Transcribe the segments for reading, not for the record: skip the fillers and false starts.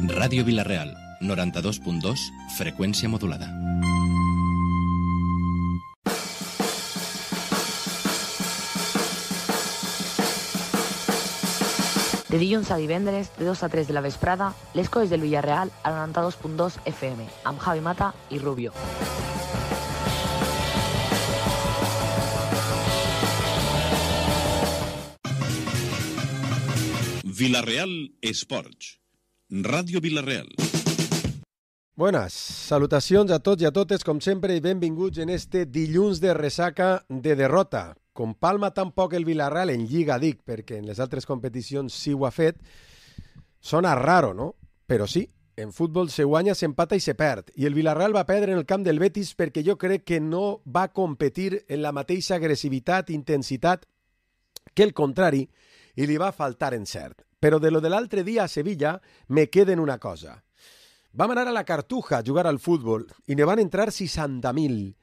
Ràdio Vila-real, 92.2, freqüència modulada. De dilluns a divendres, de 2 a 3 de la vesprada, les coses del Villarreal a 92.2 FM, amb Javi Mata i Rubio. Vila-real Esports, Ràdio Vila-real. Buenas, salutacions a tots i a totes, com sempre, i benvinguts en este dilluns de ressaca de derrota. Com palma tampoc el Villarreal en Lliga, dic, perquè en les altres competicions sí ho ha fet. Sona raro, no? Però sí, en futbol se guanya, s'empata i se perd. I el Villarreal va perdre en el camp del Betis perquè jo crec que no va competir en la mateixa agressivitat i intensitat que el contrari, i li va faltar encert. Però de lo de l'altre dia a Sevilla me queden una cosa. Vam anar a la Cartuja a jugar al futbol i ne van entrar 60.000.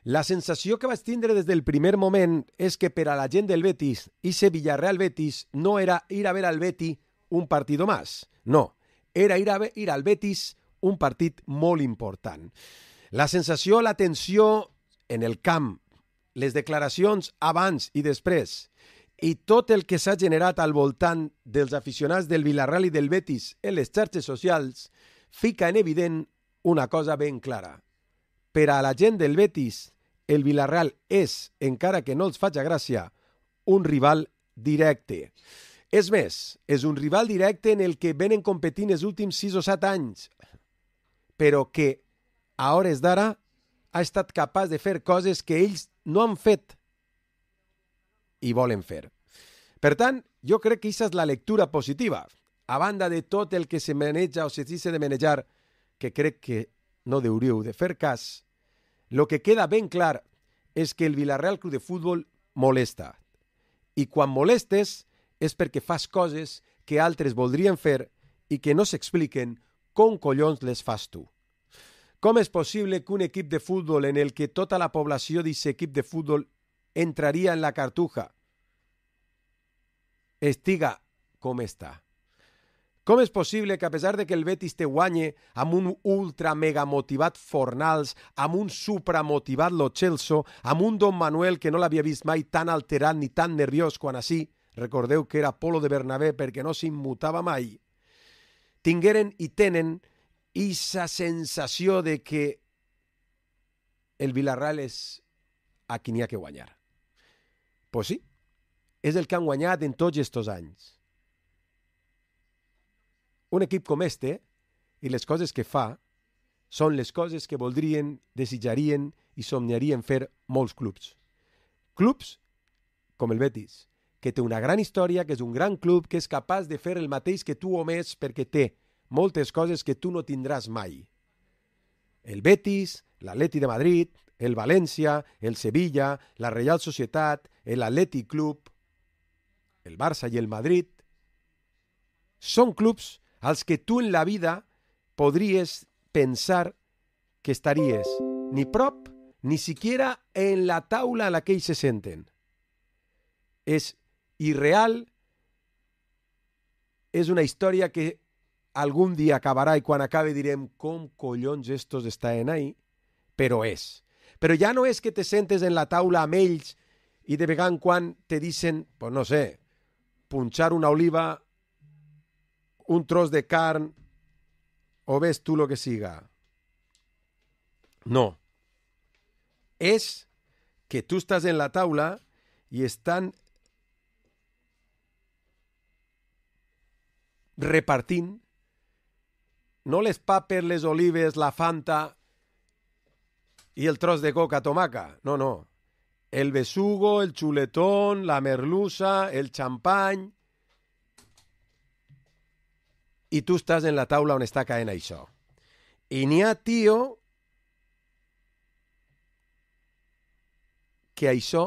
La sensació que vaig tindre des del primer moment és que per a la gent del Betis, ese Villarreal-Betis no era ir a ver al Betis un partido más. No, era ir al Betis un partit molt important. La sensació, la tensió en el camp, les declaracions abans i després, i tot el que s'ha generat al voltant dels aficionats del Villarreal i del Betis en les xarxes socials fica en evident una cosa ben clara. Per a la gent del Betis, el Villarreal és, encara que no els faci gràcia, un rival directe. És més, és un rival directe en el que venen competint els últims 6 o 7 anys, però que, a hores d'ara, ha estat capaç de fer coses que ells no han fet i volen fer. Per tant, jo crec que aquesta és la lectura positiva, a banda de tot el que se maneja o se dice de manejar, que crec que no hauríeu de fer cas. Lo que queda ben clar és que el Villarreal Club de Futbol molesta. I quan molestes és perquè fas coses que altres voldrien fer i que no s'expliquen com collons les fas tu. Com és possible que un equip de futbol en el que tota la població d'aquest equip de futbol entraria en la Cartuja estiga com està? Com és possible que a pesar de que el Betis te guanye amb un ultra mega motivat Fornals, amb un supra motivat Lo Celso, amb un Don Manuel que no l'havia vist mai tan alterat ni tan nerviós quan així, recordeu que era Polo de Bernabé perquè no s'immutava mai, tingueren i tenen aquesta sensació de que el Villarreal és a qui n'hi ha que guanyar. Pues sí, és el que han guanyat en tots estos anys. Un equip com este i les coses que fa són les coses que voldrien, desitjarien i somniarien fer molts clubs. Clubs com el Betis, que té una gran història, que és un gran club, que és capaç de fer el mateix que tu o més perquè té moltes coses que tu no tindràs mai. El Betis, l'Atleti de Madrid, el València, el Sevilla, la Reial Societat, l'Atlètic Club, el Barça i el Madrid, són clubs als que tu en la vida podries pensar que estaries ni prop ni siquiera en la taula a la que ells se senten. És irreal, és una història que algun dia acabarà i quan acabe direm com collons estos estaven ahí, però és. Però ja no és que te sentes en la taula amb ells i de vegada en quan te dicen, pues no sé, punxar una oliva, un tros de carn, o ves tu lo que siga. No. És que tu estàs en la taula i estan repartint no les papes, les olives, la Fanta i el tros de coca tomaca. No, no. El besugo, el chuletón, la merluza, el champany. I tu estàs en la taula on està caent això. I n'hi ha, tio, que això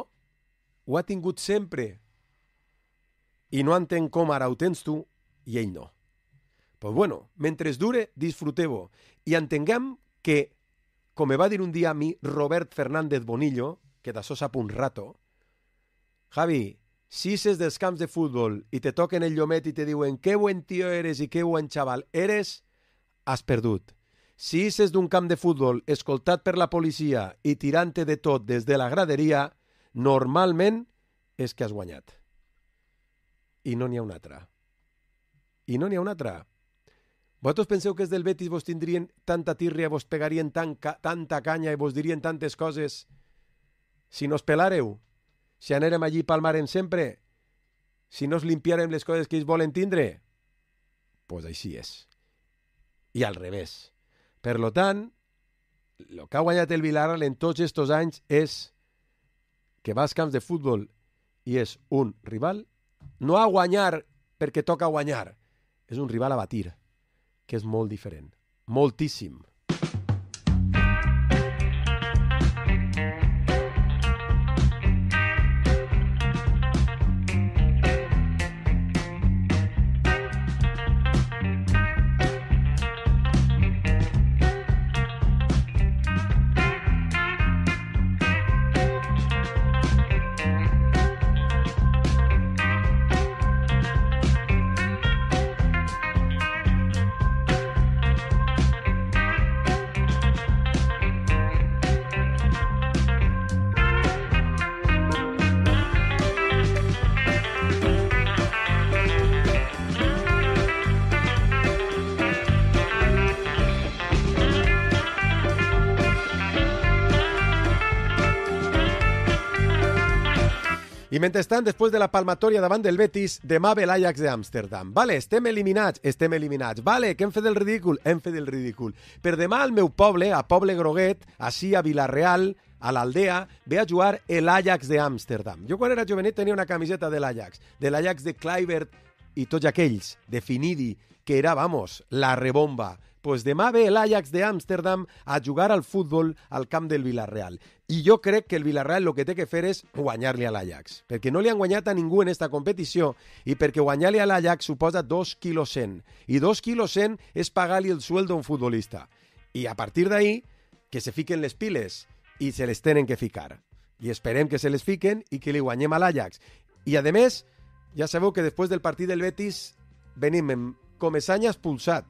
ho ha tingut sempre i no entén com ara ho tens tu i ell no. Pues bueno, mentre es dure, disfruteu-ho. I entenguem que, com me va dir un dia a mi Robert Fernández Bonillo, que d'això sap un rato, Javi, Si ses dels camps de futbol i te toquen el llomet i te diuen que buen tío eres i que buen xaval eres, has perdut. Si ses d'un camp de futbol escoltat per la policia i tirant-te de tot des de la graderia, normalment és que has guanyat. I no n'hi ha una altra. I no n'hi ha una altra. Vosaltres penseu que els del Betis vos tindrien tanta tirria, vos pegarien tanta canya i vos dirien tantes coses si no es pelàreu? Si anérem allí palmaren sempre? Si no es limpiarem les coses que ells volen tindre? Pues així és. I al revés. Per lo tant, el que ha guanyat el Villarreal en tots estos anys és que va als camps de futbol i és un rival, no a guanyar perquè toca guanyar, és un rival a batir, que és molt diferent. Moltíssim. I mentrestant, després de la palmatòria davant del Betis, demà ve l'Ajax d'Amsterdam. Vale, estem eliminats. Vale, que hem fet el ridícul. Per demà al meu poble, a Poble Groguet, així a Vilareal, a l'Aldea, ve a jugar l'Ajax d'Amsterdam. Jo quan era jovenet tenia una camiseta de l'Ajax de Kluivert i tots aquells, de Finidi, que era, vamos, la rebomba. Pues demà ve l'Ajax d'Amsterdam a jugar al futbol al camp del Villarreal. I jo crec que el Villarreal el que té que fer és guanyar-li a l'Ajax, perquè no li han guanyat a ningú en esta competició i perquè guanyar-li a l'Ajax suposa 2,1 quilos. I 2,1 quilos és pagar-li el sueldo a un futbolista. I a partir d'ahí, que se fiquen les piles i se les tenen que ficar. I esperem que se les fiquen i que li guanyem a l'Ajax. I a més, ja sabeu que després del partit del Betis venim amb Comesaña expulsat,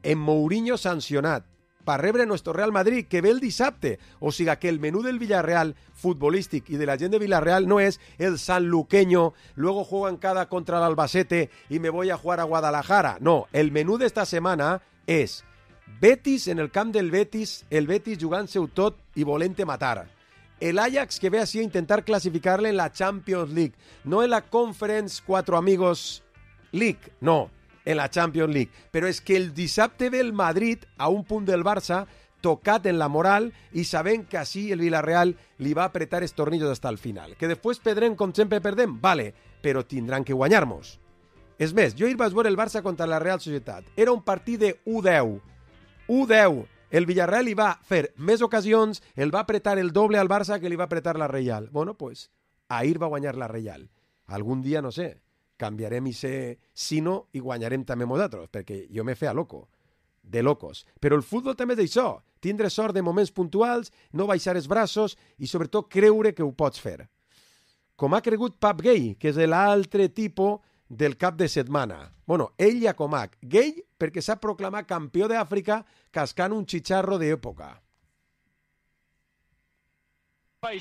en Mourinho sancionat, per rebre nuestro Real Madrid, que ve el dissabte. O sigui que el menú del Villarreal futbolístic i de la gent de Villarreal no és el sanluqueño, luego juegan cada contra el Albacete y me voy a jugar a Guadalajara. No, el menú d'esta setmana és Betis en el camp del Betis, el Betis jugant-se-ho tot i volent-te matar. El Ajax que ve així a intentar classificar-le en la Champions League, no en la Conference Cuatro Amigos League, no, en la Champions League. Però és que el dissabte ve el Madrid a un punt del Barça, tocat en la moral i sabent que així el Villarreal li va apretar els tornillos hasta el final. Que després perdrem com sempre perdem? Vale, però tindran que guanyar-nos. És més, jo ahir vaig veure el Barça contra la Real Societat. Era un partit de 1-10. 1-10. El Villarreal li va fer més ocasions, el va apretar el doble al Barça que li va apretar la Real. Bueno, pues, ahir va guanyar la Real. Algun dia, no sé, canviarem i ser sino i guanyarem també nosaltres, perquè jo me feia loco, de locos. Però el futbol també és això, tindre sort de moments puntuals, no baixar els braços i sobretot creure que ho pots fer. Com ha cregut Pap Gay, que és l'altre tipus del cap de setmana. Bueno, ell ja com Gay perquè s'ha proclamat campió d'Àfrica cascant un xicharro d'època.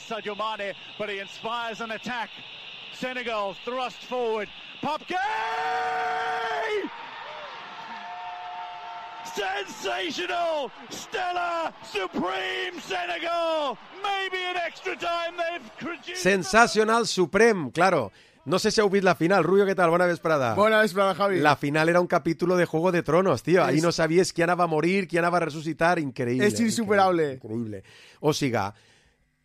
Sadio Mane, but he inspires an attack. Senegal thrust forward. Pap Gay! Sensational! Stellar! Supreme Senegal! Maybe an extra time they've produced... Sensacional Supreme, claro. No sé si heu vist la final. Rubio, ¿qué tal? Buena vesprada. Buena vesprada, Javi. La final era un capítulo de Juego de Tronos, tío. Ahí no sabías quién iba a morir, quién iba a resucitar. Increïble. És insuperable. Increïble. O siga,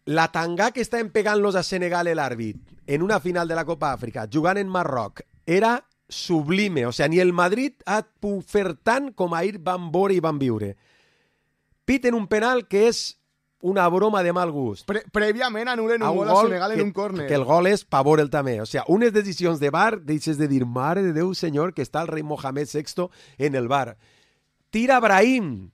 la tanga que estaven pegant-los a Senegal l'àrbit en una final de la Copa Àfrica, jugant en Marroc, era sublime. O sea, ni el Madrid ha pogut fer tant com ahir van veure i van viure. Piten un penal que és una broma de mal gust. Prèviament anulen un gol a Senegal en un córner. Que el gol és pa veure'l també. O sea, unes decisions de VAR, deixes de dir, mare de Déu, senyor, que està el rei Mohamed VI en el VAR. tira Brahim,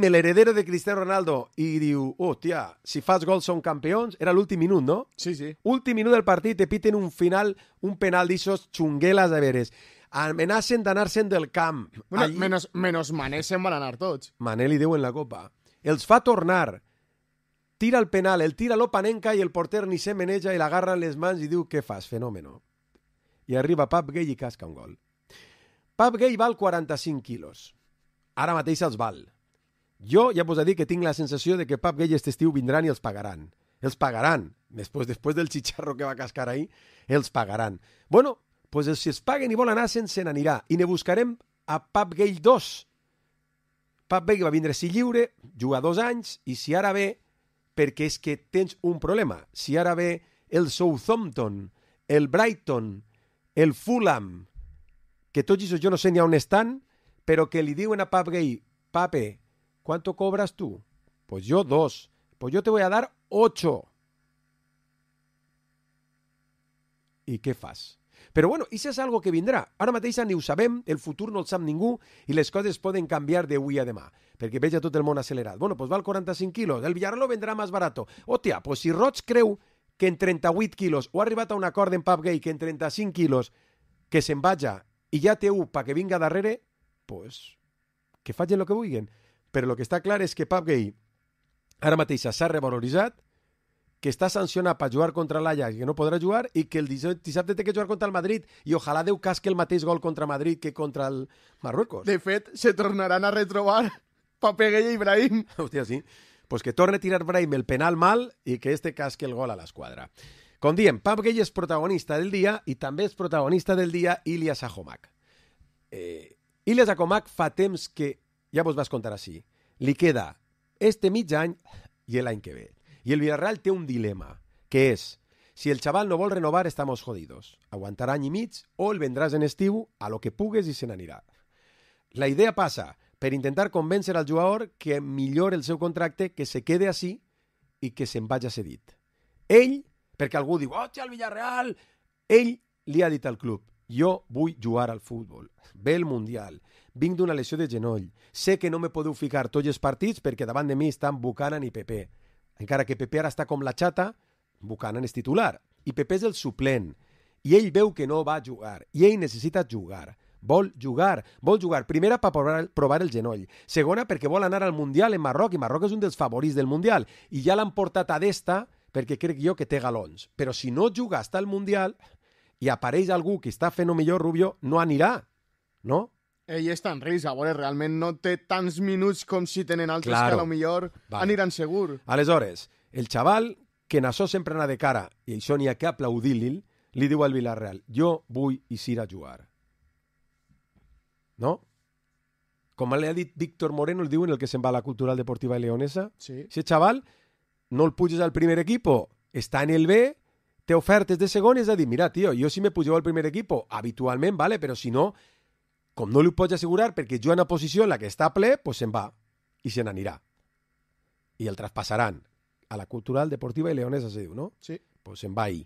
el heredero de Cristiano Ronaldo, i diu, hòstia, si fas gol són campions. Era l'últim minut, no? Sí, sí. Últim minut del partit, te piten un penal d'ixos xungueles a veres. Amenacen d'anar-se'n del camp. Bueno, menos Mané se'n van anar tots. Mané li diu en la copa. Els fa tornar. Tira el penal, el tira l'Opanenka i el porter ni se meneja i l'agarra en les mans i diu, què fas, fenòmeno? I arriba Pap Gay i casca un gol. Pap Gay val 45 quilos. Ara mateix els val. Jo ja vos he dit que tinc la sensació de que Pap Gay este estiu vindran i els pagaran. Els pagaran. Després del xicharro que va cascar ahir, els pagaran. Bueno, pues si es paguen i volen anar, se n'anirà. I ne buscarem a Pap Gay 2. Pap Gay va vindre si lliure, juga 2 anys, i si ara ve, perquè és que tens un problema. Si ara ve el Southampton, el Brighton, el Fulham, que tots això jo no sé ni on estan, però que li diuen a Pap Gay, Pape, ¿cuánto cobras tú? Pues yo 2. Pues yo te voy a dar 8. I què fas? Però bueno, això és algo que vindrà. Ara mateix ni ho sabem, el futur no el sap ningú i les coses poden canviar d'avui a demà, perquè veig a tot el món accelerat. Bueno, pues val 45 quilos, el Villarreal lo vendrà més barato. Hòstia, pues si Roig creu que en 38 quilos, o ha arribat a un acord en Pap Gay que en 35 quilos que se'n vaja i ja té un pa que vinga darrere, pues que facin el que vulguin. Però el que està clar és que Pap Gay ara mateix s'ha revaloritzat, que està sancionat per jugar contra l'Ajax, que no podrà jugar, i que el dissabte té que jugar contra el Madrid, i ojalà Déu casque el mateix gol contra Madrid que contra el Marruecos. De fet, se tornaran a retrobar Pap Gay i Brahim. Hòstia, sí. Pues que torne a tirar Brahim el penal mal i que este casque el gol a l'esquadra. Com diem, Pap Gay és protagonista del dia i també és protagonista del dia Ilyas Ahomak. Ilyas Ahomak fa temps que, ja vos vas contar així, li queda este mig any i l'any que ve. I el Villarreal té un dilema, que és, si el xaval no vol renovar, estamos jodidos. Aguantarà any i mig o el vendràs en estiu a lo que pugues i se n'anirà. La idea passa per intentar convèncer al jugador que millore el seu contracte, que se quede així i que se'n vagi cedit. Ell, perquè algú diu, hòstia, el Villarreal, ell li ha dit al club, jo vull jugar al futbol, ve el Mundial, vinc d'una lesió de genoll, sé que no me podeu ficar tots els partits perquè davant de mi estan Buchanan i Pepe. Encara que Pepe ara està com la xata, Buchanan és titular, i Pepe és el suplent, i ell veu que no va jugar, i ell necessita jugar, vol jugar, primera per provar el genoll, segona perquè vol anar al Mundial en Marroc, i Marroc és un dels favorits del Mundial, i ja l'han portat a d'esta perquè crec jo que té galons, però si no juga hasta el Mundial i apareix algú que està fent o millor, Rubio, no anirà, no? Ell està en risc, a veure, realment no té tants minuts com si tenen altres que a lo millor aniran segur. Aleshores, el xaval, que en això sempre anar de cara, i això n'hi ha que aplaudir-li, li diu al Villarreal, jo vull eixir a jugar. No? Com li ha dit Víctor Moreno, el diuen el que se'n va a la Cultural Deportiva Leonesa, sí. Si el xaval no el puges al primer equipo, està en el B, té ofertes de segon, és a dir, mira, tio, jo si me pugeu al primer equipo, habitualment, vale, però si no, com no li ho pots assegurar perquè juga en una posició en la que està ple, pues se'n va i se n'anirà. I el traspassaran a la Cultural Deportiva i Leonesa, se diu, no? Sí. Pues se'n va ahir.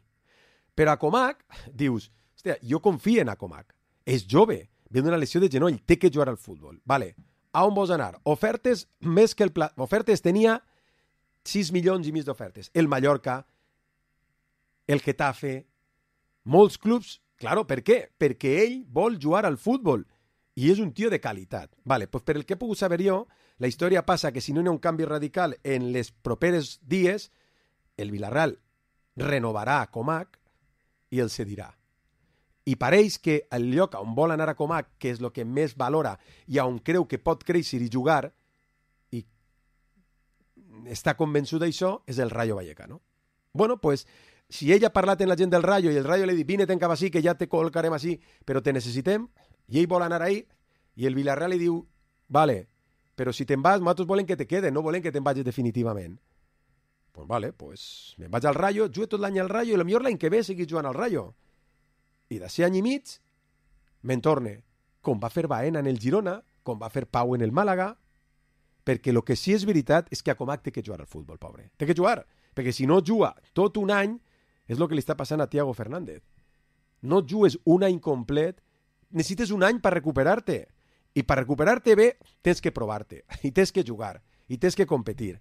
Però a Comac, dius, hòstia, jo confio en Comac. És jove, ve d'una lesió de genoll, té que jugar al futbol. Vale, a on vols anar? Ofertes més que el pla... Ofertes tenia 6 milions i mig d'ofertes. El Mallorca, el Getafe, molts clubs. Claro, per què? Perquè ell vol jugar al futbol. I és un tio de qualitat. Vale, pues per el que he pogut saber jo, la història passa que si no hi ha un canvi radical en les properes dies, el Villarreal renovarà a Comac i el cedirà. I pareix que el lloc on vol anar a Comac, que és el que més valora i on creu que pot créixer i jugar, i està convençut d'això, és el Rayo Vallecano. Bueno, pues, si ell ha parlat amb la gent del Rayo i el Rayo li ha dit, vine, ten cap així, que ja te col·locarem així, però te necessitem, i ell vol anar ahí, i el Villarreal li diu, vale, però si te'n vas, nosaltres volem que te quede, no volem que te'n vagis definitivament. Pues vale, pues me'n vaig al Rayo, jugo tot l'any al Rayo, i potser l'any que ve seguís jugant al Rayo. I d'ací any i mig, me'n torne, com va fer Baena en el Girona, com va fer Pau en el Màlaga, perquè el que sí és veritat és que a Comac té que jugar al futbol, pobre. Té que jugar, perquè si no juga tot un any, és el que li està passant a Thiago Fernández. No jugues un any complet, necessites un any per recuperar-te. I per recuperar-te bé tens que provar-te, i tens que jugar, i tens que competir.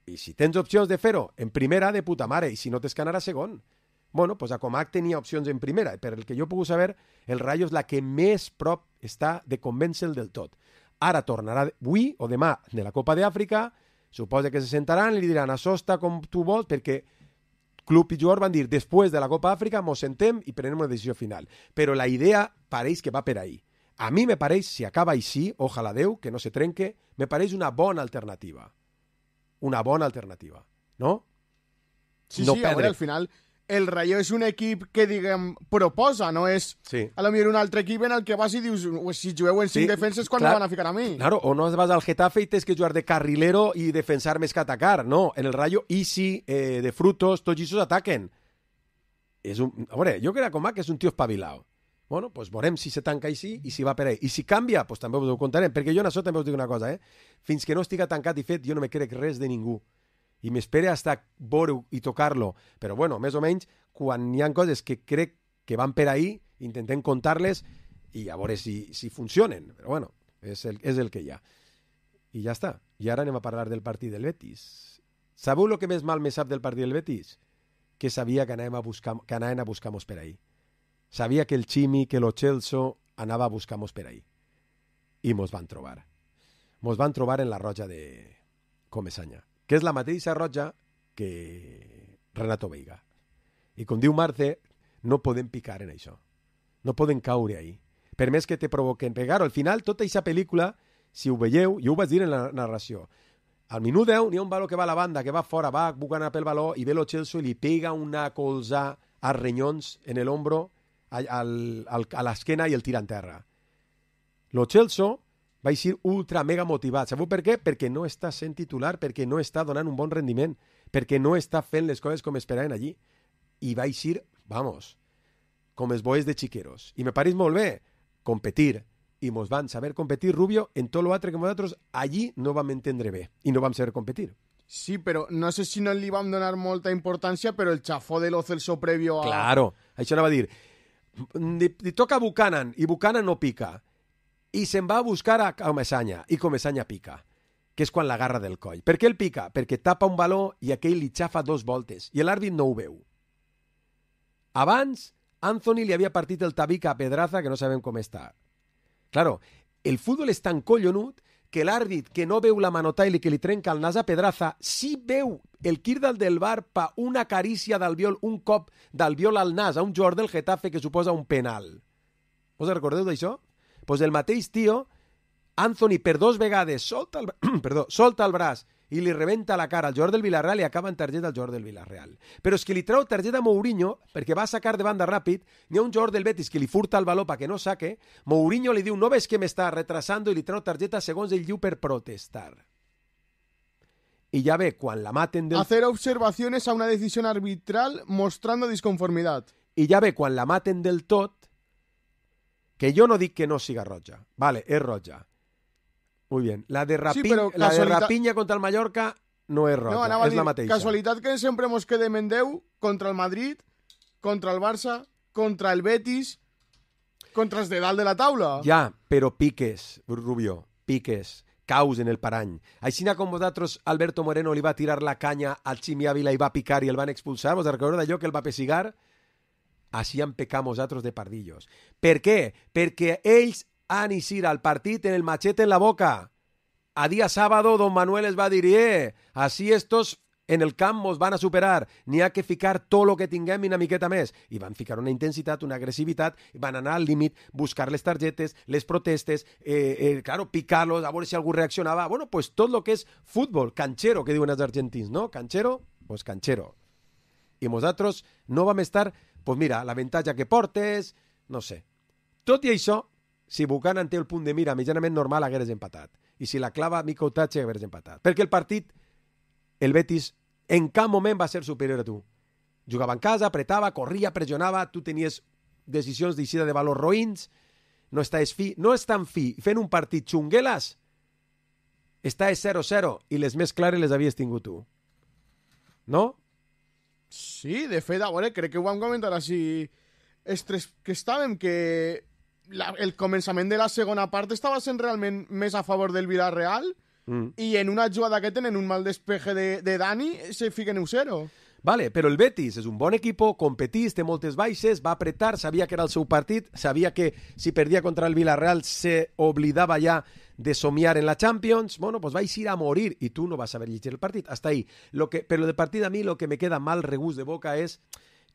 I si tens opcions de fer-ho en primera, de puta mare, i si no tens que anar a segon. Bueno, pues a Comac tenia opcions en primera, per el que jo he pogut saber, el Rayo és la que més prop està de convèncer-lo del tot. Ara tornarà avui o demà de la Copa d'Àfrica, suposa que se sentaran i li diran això està com tu vols, perquè club i jugador van dir després de la Copa d'Àfrica mos sentem i prenem una decisió final. Però la idea pareix que va per ahí. A mi me pareix, si acaba així, ojalà Déu, que no se trenque, me pareix una bona alternativa. Una bona alternativa, no? Sí, no sí, a veure, al final el Rayo és un equip que, diguem, proposa, no és a lo millor un altre equip en el que vas i dius, si jugueu en 5 defenses, quan me van a ficar a mi? Claro, o no vas al Getafe i tens que jugar de carrilero i defensar més que atacar, no. En el Rayo, easy, de frutos, tots ells ataquen. A veure, jo crec que Comac és un tio espavilado. Bueno, pues veurem si se tanca així i si va per ahí. I si canvia, pues també us ho contarem, perquè jo en això també us dic una cosa, Fins que no estiga tancat i fet, jo no me crec res de ningú. I m'espere hasta veure i tocar-lo. Però bueno, més o menys, quan hi ha coses que crec que van per ahí, intentem contar-les i a veure si funcionen. Però bueno, és el que hi ha. I ja està. I ara anem a parlar del partit del Betis. Sabeu el que més mal me sap del partit del Betis? Que sabia que anaven a buscar-nos per ahí. Sabia que el Chimi, que lo Celso anava a buscar-nos per ahí. I mos van trobar. Mos van trobar en la Roja de Comesaña, que és la mateixa Roja que Renato Veiga. I com diu Marce, no podem picar en això. No podem caure ahí. Per més que te provoquen pegar, al final, tota aquesta pel·lícula, si ho veieu, jo ho vaig dir en la narració, al minut 10 n'hi ha un baló que va a la banda, que va fora, va bucant pel baló, i ve lo Celso i li pega una colza a renyons en l'ombro, a l'esquena i el tira en terra. Lo Celso va ser ultra mega motivat. Sabeu per què? Perquè no està sent titular, perquè no està donant un bon rendiment, perquè no està fent les coses com esperaven allí. I va ser, vamos, com els boes de xiqueros. I me pareix molt bé competir. I mos van saber competir, Rubio, en tot l'altre que nosaltres allí no vam entendre bé i no vam saber competir. Sí, però no sé si no li vam donar molta importància, però el xafó de lo Celso previo a... Claro, això anava a dir. Li toca a Buchanan, i Buchanan no pica. I se'n va a buscar a Comesaña, i Comesaña pica, que és quan l'agarra del coll. Per què el pica? Perquè tapa un baló i aquell li xafa 2 voltes, i l'àrbit no ho veu. Abans, Anthony li havia partit el tabic a Pedraza, que no sabem com està. Claro, el futbol és tan collonut que l'àrbit que no veu la manotail i que li trenca el nas a Pedraza, sí veu el Kirdal del Bar pa una carícia d'Albiol, un cop d'Albiol al nas a un jugador del Getafe que suposa un penal. Us recordeu d'això? Pues el mateix tio, Anthony per 2 vegades solta el braç i li rebenta la cara al jugador del Villarreal i acaba en targeta al jugador del Villarreal. Però és que li treu targeta a Mourinho perquè va a sacar de banda ràpid, n'hi ha un jugador del Betis que li furta el baló perquè no saque, Mourinho li diu no ves que m'està retrasando i li treu targeta segons ell diu per protestar. Y ya ve, quan la maten del... Hacer observaciones a una decisión arbitral mostrando disconformidad. I ja ve, quan la maten del tot, que jo no dic que no siga roja. Vale, és roja. Muy bien. La de Rapiña contra el Mallorca no és roja, no, és la mateixa. Casualitat que sempre mos quedem en 10 contra el Madrid, contra el Barça, contra el Betis, contra els de dalt de la taula. Ja, però piques, Rubio, piques. Caus en el parany. Així com vosaltres, Alberto Moreno li va tirar la canya al Chimi Ávila i va picar i el van expulsar, vos recordeu d'allò que el va pessigar? Així han pecat nosaltres de pardillos. Per què? Perquè ells han eixir al partit en el machete en la boca. A dia sábado, don Manuel es va dir, així estos en el camp mos van a superar, n'hi ha que ficar tot el que tinguem i una miqueta més. I van ficar una intensitat, una agressivitat, van anar al límit, buscar les targetes, les protestes, claro, picar-los, a veure si algú reaccionava. Bueno, pues tot el que és futbol, canchero, que diuen els argentins, no? Canchero, pues canchero. I nosaltres no vam estar, pues mira, l'avantatge que portes, no sé. Tot i això, si Buchanan té el punt de mira mitjanament normal, hagueres empatat. I si la clava Miko Tache, hagueres empatat. Perquè el partit, el Betis, en cap moment va ser superior a tu. Jugava en casa, apretava, corria, pressionava, tu tenies decisions d'eixida de valors roïns, no estaves fi, no és tan fi, fent un partit xungueles, estaves 0-0 i les més clares les havies tingut tu. No? Sí, de fet, a veure, crec que ho vam comentar així, que estàvem, que el començament de la segona part estava sent realment més a favor del Villarreal i en una jugada que tenen un mal despeje de Dani se fiquen 1-0. Vale, però el Betis és un bon equip, competís, té moltes baixes, va apretar, sabia que era el seu partit, sabia que si perdia contra el Villarreal se oblidava ja de somiar en la Champions, bueno, pues vais a ir a morir y tú no vas a saber llegir el partit. Hasta ahí. Pero del partit a mí lo que me queda mal regust de boca és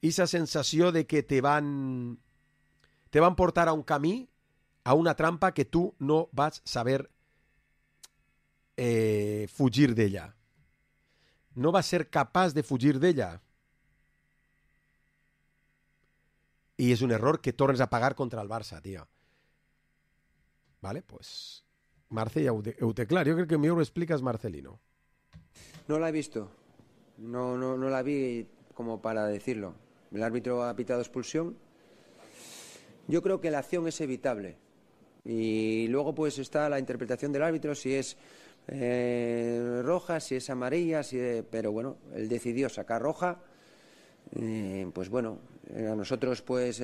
esa sensació de que te van portar a un camí, a una trampa que tu no vas saber fugir d'ella. No vas ser capaç de fugir d'ella. I és un error que tornes a pagar contra el Barça, tio. Vale, pues Marce ja ho té clar. Jo crec que millor ho expliques, Marcelino. No la he visto. No la vi como para decirlo. El árbitro ha pitado expulsión. Yo creo que la acción es evitable. Y luego pues está la interpretación del árbitro, si es roja, si es amarilla, pero bueno, él decidió sacar roja. Pues bueno, a nosotros pues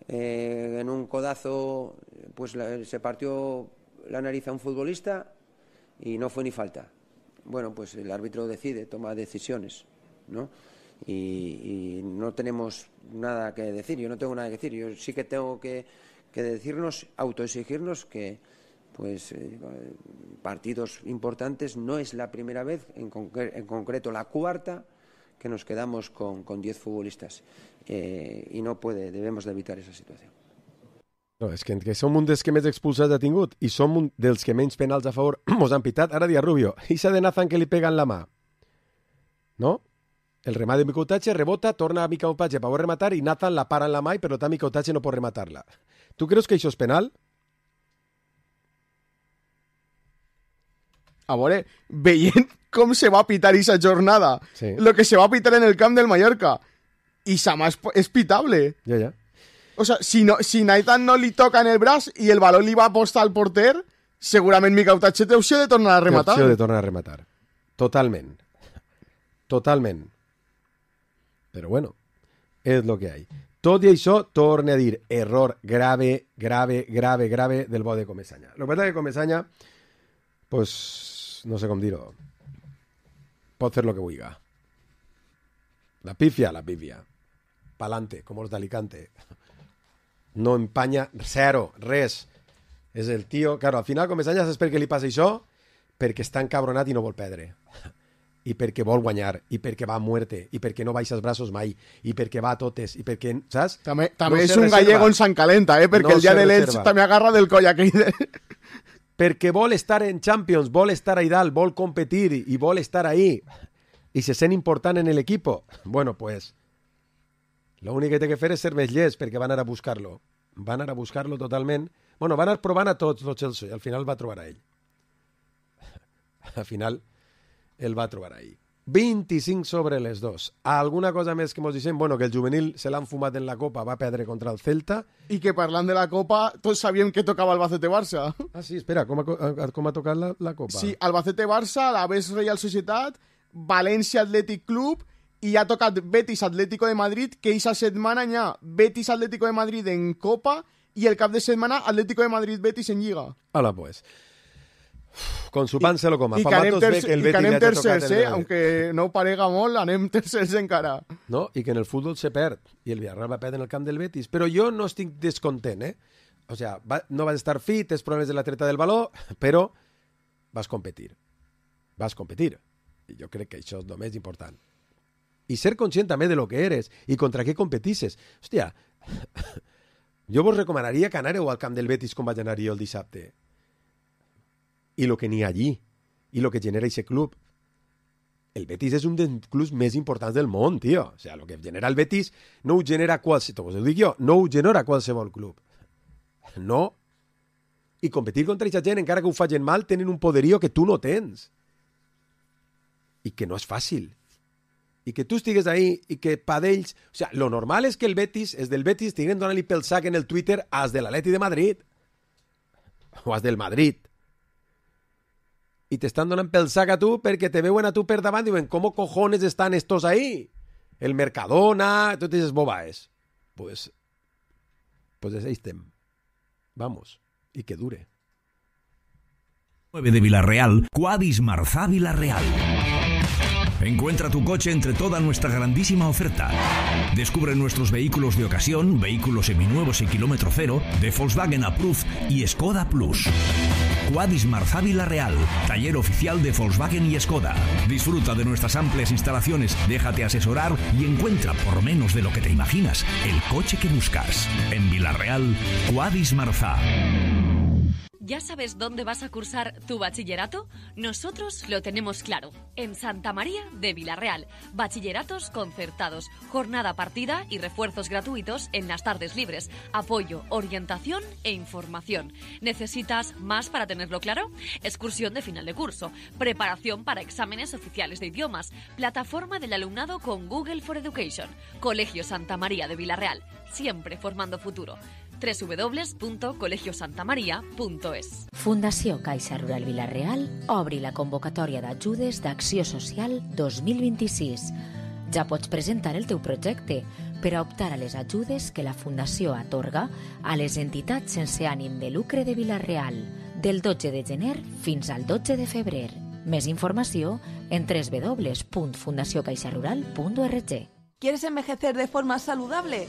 en un codazo pues se partió la nariz a un futbolista y no fue ni falta. Bueno, pues el árbitro decide, toma decisiones, ¿no? Y no tenemos nada que decir, yo no tengo nada que decir, yo sí que tengo que decirnos, autoexigirnos que pues partidos importantes no es la primera vez, en concreto la cuarta, que nos quedamos con 10 futbolistas y debemos de evitar esa situación. No, és que som un dels que més expulsats ha tingut i som un dels que menys penals a favor mos han pitat. Ara dia Rubio, esa de Nathan que li pega en la mà, no? El remate de Micoutache rebota, torna a Micoutache per poder rematar i Nathan la para en la mà i per tant Micoutache no pot rematar-la. Tu creus que això és penal? A veure, veient com se va pitar aquesta jornada, sí. Lo que se va pitar en el camp del Mallorca, i Sama és pitable. Ja. O sea, si Nathan no li toca en el braç i el baló li va apostar al porter, segurament Micoutache té opció de tornar a rematar. Té opció de tornar a rematar. Totalment. Però bueno, és lo que hay. Tot i això, torne a dir, error grave del bo de Comesaña. Lo que passa que Comesaña, pues, no sé com dir-ho, pot fer lo que vulga. La pifia. Pa'lante, com els d'Alicante. No empanya zero, res. És el tio... Claro, al final Comesaña saps per què li passa això? Perquè està encabronat i no vol perdre. I perquè vol guanyar, i perquè va a muerte, i perquè no baixa els braços mai, i perquè va a totes, i perquè, saps? També no és un gallego en Sant Calenta, perquè no el dia de l'Elx també agarra del coll aquell de... Perquè vol estar en Champions, vol estar ahí dalt, vol competir, i vol estar ahí, i se sent important en el equipo. Bueno, pues, lo únic que té que fer és ser més llest, perquè van anar a buscar-lo. Van anar a buscar-lo totalment. Bueno, van anar provant a tots los Chelsea, i al final va trobar a ell. Al final... el va trobar ahí. 25 sobre les 2. Alguna cosa més que mos dicen? Bueno, que el juvenil se l'han fumat en la Copa, va perdre contra el Celta. I que parlant de la Copa, tots sabíem que tocava Albacete-Barça. Ah, sí, espera, com ha tocat la Copa? Sí, Albacete-Barça, l'Aves Real Societat, València Atlètic Club, i ha tocat Betis Atlético de Madrid, que aquesta setmana hi ha Betis Atlético de Madrid en Copa i el cap de setmana Atlético de Madrid-Betis en Lliga. Hola, pues. Con su pan se lo coma. I que anem tercers, aunque no ho parega molt, anem tercers encara. No? I que en el futbol se perd, i el Villarreal va perdre en el camp del Betis. Però jo no estic descontent, O sea, no vas estar fit, tens problemes de la treta del baló, però vas competir. I jo crec que això és el més important. I ser conscient també de lo que eres i contra què competisses. Hòstia, jo vos recomanaria que anàreu al camp del Betis com vaig anar jo el dissabte. I lo que n'hi ha allí, i lo que genera ese club. El Betis és un dels clubs més importants del món, tio. O sea, lo que genera el Betis no ho genera qualsevol, ho dic jo, no ho genera qualsevol club. No. I competir contra aquesta gent, encara que ho facin mal, tenen un poderío que tu no tens. I que no és fàcil. I que tu estigues ahí i que pa d'ells... O sea, lo normal és que el Betis, és del Betis, estiguen donant-li pel sac en el Twitter als de l'Atleti de Madrid. O als del Madrid. Y te están donando pel sac a tu perquè te veuen a tu per davant i diuen, ¿cómo cojones están estos ahí? El Mercadona, tú te dices, bobaes. Pues ahí estem. vamos, y que dure. 9 de Villarreal, Quadis Marzá Villarreal. Encuentra tu coche entre toda nuestra grandísima oferta. Descubre nuestros vehículos de ocasión, vehículos seminuevos y kilómetro cero, de Volkswagen Approved y Skoda Plus. Quadis Marzá Villarreal, taller oficial de Volkswagen y Skoda. Disfruta de nuestras amplias instalaciones, déjate asesorar y encuentra, por menos de lo que te imaginas, el coche que buscas. En Villarreal, Quadis Marzá. ¿Ya sabes dónde vas a cursar tu bachillerato? Nosotros lo tenemos claro. En Santa María de Villarreal. Bachilleratos concertados, jornada partida y refuerzos gratuitos en las tardes libres. Apoyo, orientación e información. ¿Necesitas más para tenerlo claro? Excursión de final de curso. Preparación para exámenes oficiales de idiomas. Plataforma del alumnado con Google for Education. Colegio Santa María de Villarreal. Siempre formando futuro. www.colegiosantamaria.es. Fundació Caixa Rural Villarreal obri la convocatòria d'ajudes d'Acció Social 2026. Ja pots presentar el teu projecte per a optar a les ajudes que la Fundació atorga a les entitats sense ànim de lucre de Villarreal del 12 de gener fins al 12 de febrer. Més informació en www.fundaciocaixarural.org. ¿Quieres envejecer de forma saludable?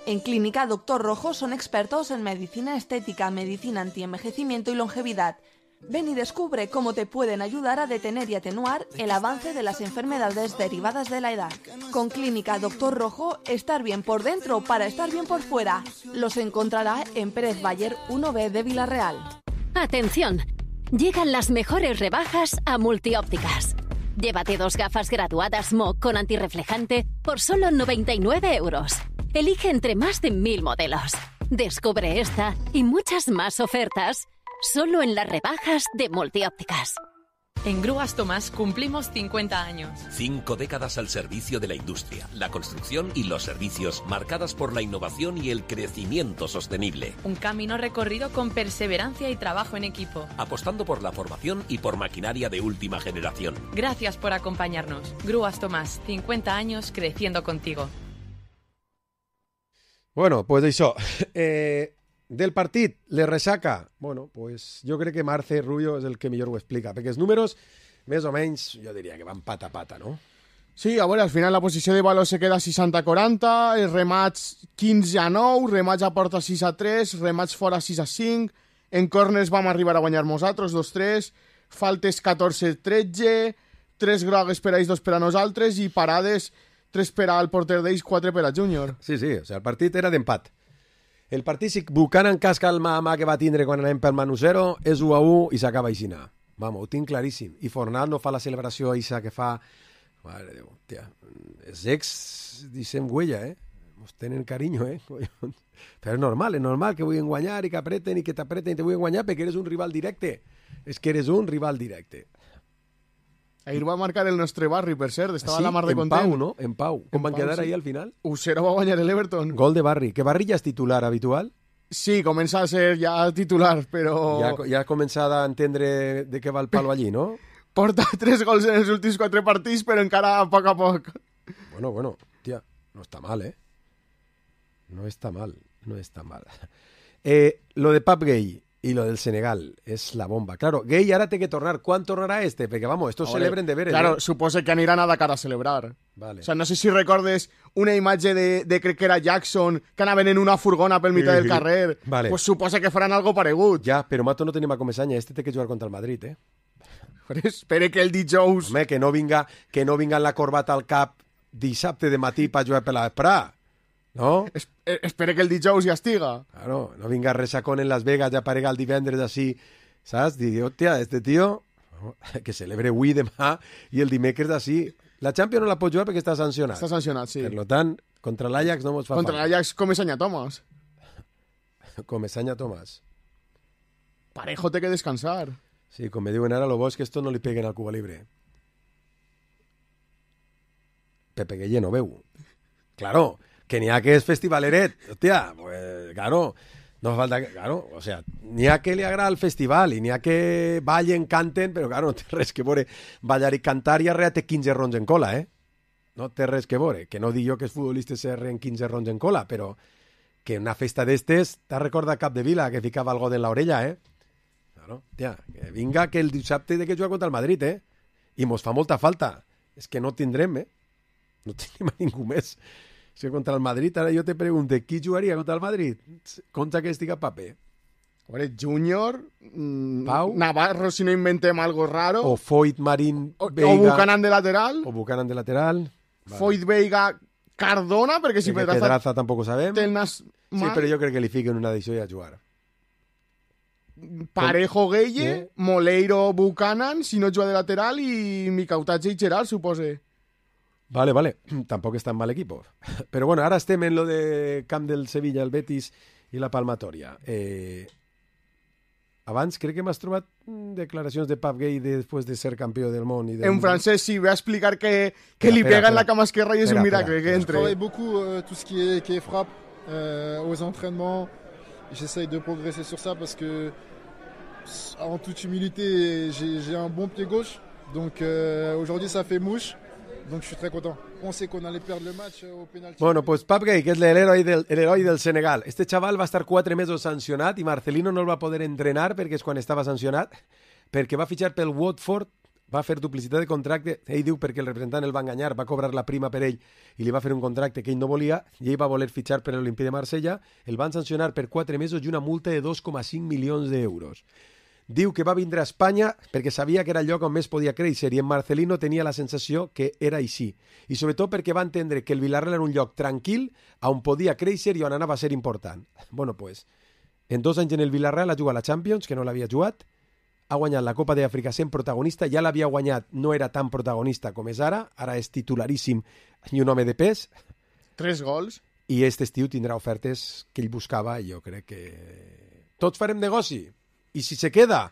En Clínica Dr. Rojo son expertos en medicina estética, medicina antienvejecimiento y longevidad. Ven y descubre cómo te pueden ayudar a detener y atenuar el avance de las enfermedades derivadas de la edad. Con Clínica Dr. Rojo, estar bien por dentro para estar bien por fuera. Los encontrará en Pérez Bayer 1B de Villarreal. ¡Atención! Llegan las mejores rebajas a Multiópticas. Llévate 2 gafas graduadas MOC con antirreflejante por solo 99 euros. Elige entre más de 1000 modelos. Descubre esta y muchas más ofertas solo en las rebajas de Multiópticas. En Grúas Tomás cumplimos 50 años. 5 décadas al servicio de la industria, la construcción y los servicios, marcadas por la innovación y el crecimiento sostenible. Un camino recorrido con perseverancia y trabajo en equipo. Apostando por la formación y por maquinaria de última generación. Gracias por acompañarnos. Grúas Tomás, 50 años creciendo contigo. Bueno, pues això, del partit, le ressaca. Bueno, pues jo crec que Marce Rubio és el que millor ho explica, perquè els números, més o menys, jo diria que van pata a pata, no? Sí, a veure, al final la posició de valor se queda 60-40, els remats 15-9, remats a porta 6-3, remats fora 6-5, en corners vam arribar a guanyar nosaltres, 2-3, faltes 14-13, 3 grogues per a ells, 2 per a nosaltres, i parades 3 per al porter d'ells, 4 per a Júnior. Sí, sí, o sigui, el partit era d'empat. El partit, si Buchanan casca el mà que va tindre quan anem pel Manu 0, és 1-1 i s'acaba aixina. Vamos, ho tinc claríssim. I Fornal no fa la celebració eixa que fa... Mare de Déu, tia, els ex deixem huella, Ens tenen carinyo, Però és normal que vulguin guanyar i que apreten i que t'apreten i te vulguin guanyar perquè eres un rival directe. És que eres un rival directe. Ahir va marcar el nostre barri, per cert, estava sí, a la mar de content. En Pau, no? En Pau. Com van quedar ahí al final? 1-0 va guanyar l'Everton. Gol de Barri. Que Barri ja és titular habitual? Sí, comença a ser ja titular, però... Ja ha començat a entendre de què va el palo allí, no? Porta 3 gols en els últims 4 partits, però encara a poc a poc. Bueno, tia, no està mal, No està mal. Lo de Pap Gay y lo del Senegal es la bomba. Claro, Gay ahora tiene que tornar. ¿Cuándo tornará este? Porque vamos, estos celebren de veres. Claro, suposo que aniran a Dakar a celebrar. Vale. O sea, no sé si recordes una imatge de crec que era Jackson, que anaven en una furgona pel mitjà del carrer. Vale. Pues suposo que faran algo paregut. Ja, però Mato no tenim a Comesanya. Este té que jugar contra el Madrid, Però espere que el dijous... Home, que no vinga amb la corbata al cap dissabte de matí per jugar per la vesprà. No? Espere que el dijous ja estiga. Claro, no vinga resacón en Las Vegas, ja aparega el divendres així, saps? Digui, hòstia, este tío que celebre avui, demà i el dimecres així. La Champions no la pot jugar perquè està sancionat. Està sancionat, sí. Per tant, contra l'Ajax no mos fa Contra l'Ajax, Comesaña Thomas. Comesaña Thomas. Parejo té que descansar. Sí, com me diuen ara, lo bo és que esto no li peguen al Cuba Libre. Pepe Gueye no veu. Claro, que n'hi ha que és festivaleret. Hòstia, pues, claro, no falta que... Claro, o sea, n'hi ha que li agrada el festival i n'hi ha que ballen, canten, però claro, no té res que veure ballar i cantar i arrea té 15 rons en cola, No té res que veure. Que no dic jo que els futbolistes s'arreen 15 rons en cola, però que una festa d'estes t'ha recordat Capdevila, que ficava algo en l'orella, Claro, tia, que vinga que el dissabte de que juga contra el Madrid, I mos fa molta falta. És que no tindrem, No tenim a ningú més. Si contra el Madrid, ara jo te pregunto, qui jugaria contra el Madrid? Contra que estiga Pape. Junior, Pau, Navarro, si no inventem algo raro. O Foyt, Marín, Veiga. O Buchanan de lateral. Vale. Foyt, Veiga, Cardona, perquè si Pedraza tampoc ho sabem. Sí, però jo crec que li fiquen una edició i a jugar. Parejo, Gueye, Moleiro, Buchanan, si no juga de lateral, i Micautatge i Gerard, supose. Vale. Tampoc és tan mal equipo. Però bueno, ara estem en lo de camp del Sevilla, el Betis i la palmatòria. Abans crec que m'has trobat declaracions de Pap Gay després de ser campió del món. En francès, sí, va explicar que li pega en la cama esquerra i és un miracle que entre. Je travaille beaucoup tout ce qui est frappe aux entraînements. J'essaye de progresser sur ça parce que, en toute humilité, j'ai un bon pied gauche. Donc aujourd'hui, ça fait mouche. Donc je suis très content. On sait qu'on allait perdre le match au penalti. Bueno, pues Pap Gay, que és l'heroi del Senegal. Este xaval va estar 4 mesos sancionat i Marcelino no el va poder entrenar perquè és quan estava sancionat, perquè va fitxar pel Watford, va fer duplicitat de contracte. Ell diu perquè el representant el va enganyar, va cobrar la prima per ell i li va fer un contracte que ell no volia i ell va voler fitxar per l'Olimpia de Marsella. El van sancionar per 4 mesos i una multa de 2,5 milions d'euros. Diu que va vindre a Espanya perquè sabia que era el lloc on més podia créixer i en Marcelino tenia la sensació que era així. I sobretot perquè va entendre que el Villarreal era un lloc tranquil on podia créixer i on anava a ser important. Bueno, pues, en 2 anys en el Villarreal ha jugat la Champions, que no l'havia jugat, ha guanyat la Copa d'Àfrica sent protagonista, ja l'havia guanyat, no era tan protagonista com és ara és titularíssim i un home de pes. 3 gols. I aquest estiu tindrà ofertes que ell buscava i jo crec que tots farem negoci. I si se queda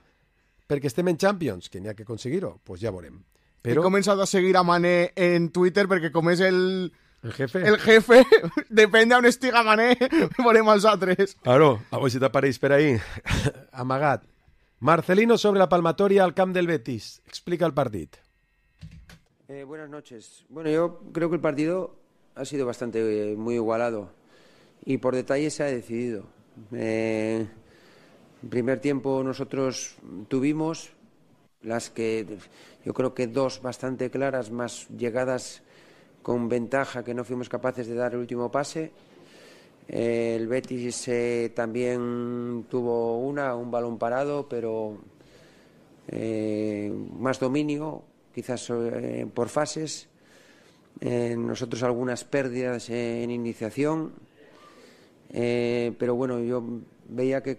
perquè estem en Champions, que n'hi ha que aconseguir-ho, pues ja veurem. Però... He començat a seguir a Mané en Twitter perquè com és el jefe, depèn d'on estiga Mané, veurem els altres. Claro, a veure si t'apareix per ahí. Amagat. Marcelino sobre la palmatoria al camp del Betis. Explica el partido. Buenas noches. Bueno, yo creo que el partido ha sido bastante muy igualado y por detalle se ha decidido. En primer tiempo nosotros tuvimos las que yo creo que 2 bastante claras, más llegadas con ventaja que no fuimos capaces de dar el último pase. El Betis también tuvo un balón parado, pero más dominio, quizás por fases. Nosotros algunas pérdidas en iniciación, pero bueno, yo veía que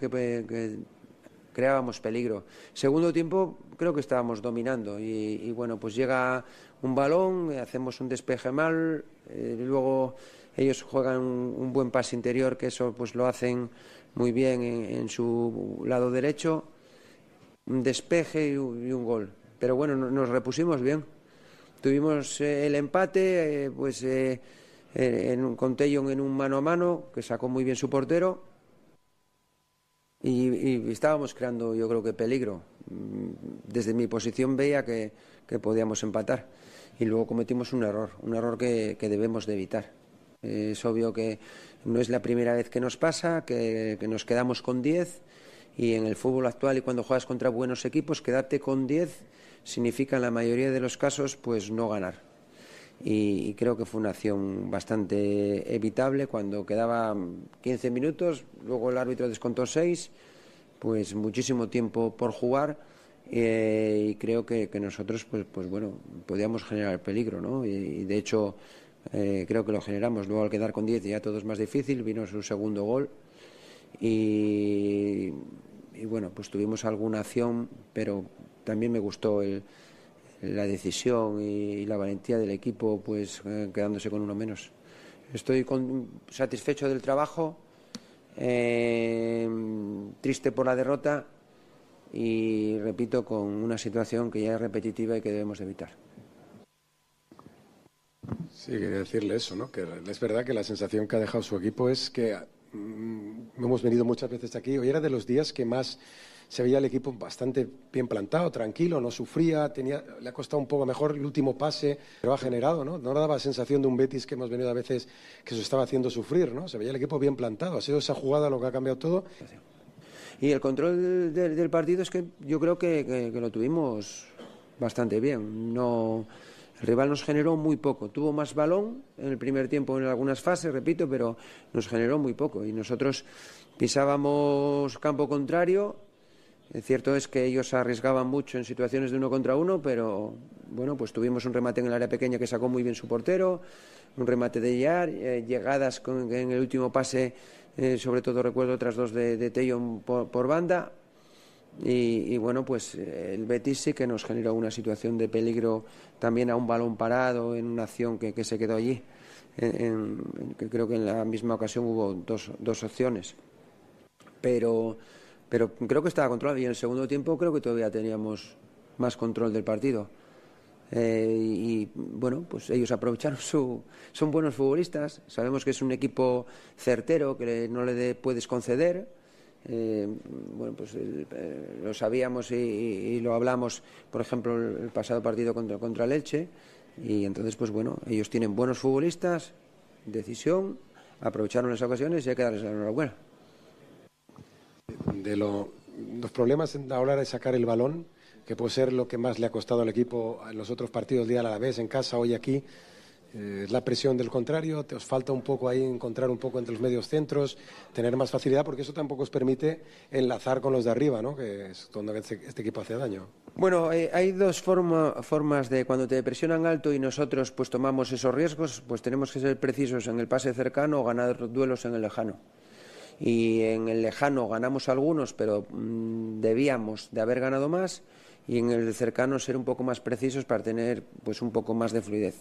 creábamos peligro. Segundo tiempo creo que estábamos dominando y bueno, pues llega un balón, hacemos un despeje mal, luego ellos juegan un buen pase interior, que eso pues lo hacen muy bien en su lado derecho, un despeje y un gol. Pero bueno, nos repusimos bien. Tuvimos el empate, con Tellon en un mano a mano, que sacó muy bien su portero. Y estábamos creando, yo creo que peligro. Desde mi posición veía que podíamos empatar. Y luego cometimos un error que debemos de evitar. Es obvio que no es la primera vez que nos pasa, que nos quedamos con 10, y en el fútbol actual y cuando juegas contra buenos equipos, quedarte con 10 significa en la mayoría de los casos pues no ganar. Y creo que fue una acción bastante evitable cuando quedaban 15 minutos, luego el árbitro descontó 6, pues muchísimo tiempo por jugar, y creo que nosotros pues bueno, podíamos generar peligro, ¿no? Y de hecho creo que lo generamos. Luego al quedar con 10 ya todo es más difícil, vino su segundo gol y bueno, pues tuvimos alguna acción, pero también me gustó la decisión y la valentía del equipo, pues quedándose con uno menos. Estoy satisfecho del trabajo, triste por la derrota y repito, con una situación que ya es repetitiva y que debemos evitar. Sí, quería decirle eso, ¿no? Que es verdad que la sensación que ha dejado su equipo es que hemos venido muchas veces aquí. Hoy era de los días que más se veía el equipo bastante bien plantado, tranquilo, no sufría, le ha costado un poco mejor el último pase, pero ha generado, ¿no? No daba la sensación de un Betis que hemos venido a veces que se estaba haciendo sufrir, ¿no? Se veía el equipo bien plantado, ha sido esa jugada lo que ha cambiado todo. Y el control del partido es que yo creo que lo tuvimos bastante bien. El rival nos generó muy poco. Tuvo más balón en el primer tiempo en algunas fases, repito, pero nos generó muy poco. Y nosotros pisábamos campo contrario. Cierto es que ellos arriesgaban mucho en situaciones de 1 contra 1, pero bueno, pues tuvimos un remate en el área pequeña que sacó muy bien su portero, un remate de Yar, llegadas en el último pase, sobre todo recuerdo otras 2 de Tello por banda. Y bueno, pues el Betis sí que nos generó una situación de peligro también a un balón parado en una acción que se quedó allí. Que creo que en la misma ocasión hubo dos opciones. Pero creo que estaba controlado y en el segundo tiempo creo que todavía teníamos más control del partido. Y bueno, pues ellos aprovecharon son buenos futbolistas, sabemos que es un equipo certero que no le puedes conceder. Bueno, pues lo sabíamos y lo hablamos, por ejemplo, el pasado partido contra el Elche, y entonces pues bueno, ellos tienen buenos futbolistas, decisión, aprovecharon las ocasiones y hay que darles la enhorabuena. De los problemas a la hora de sacar el balón, que puede ser lo que más le ha costado al equipo en los otros partidos, día a la vez, en casa, hoy aquí, es la presión del contrario. Te os falta un poco ahí encontrar un poco entre los medios centros, tener más facilidad, porque eso tampoco os permite enlazar con los de arriba, ¿no? Que es donde este equipo hace daño. Bueno, hay dos formas de cuando te presionan alto y nosotros pues tomamos esos riesgos, pues tenemos que ser precisos en el pase cercano o ganar duelos en el lejano. Y en el lejano ganamos algunos, pero debíamos de haber ganado más, y en el cercano ser un poco más precisos para tener pues un poco más de fluidez.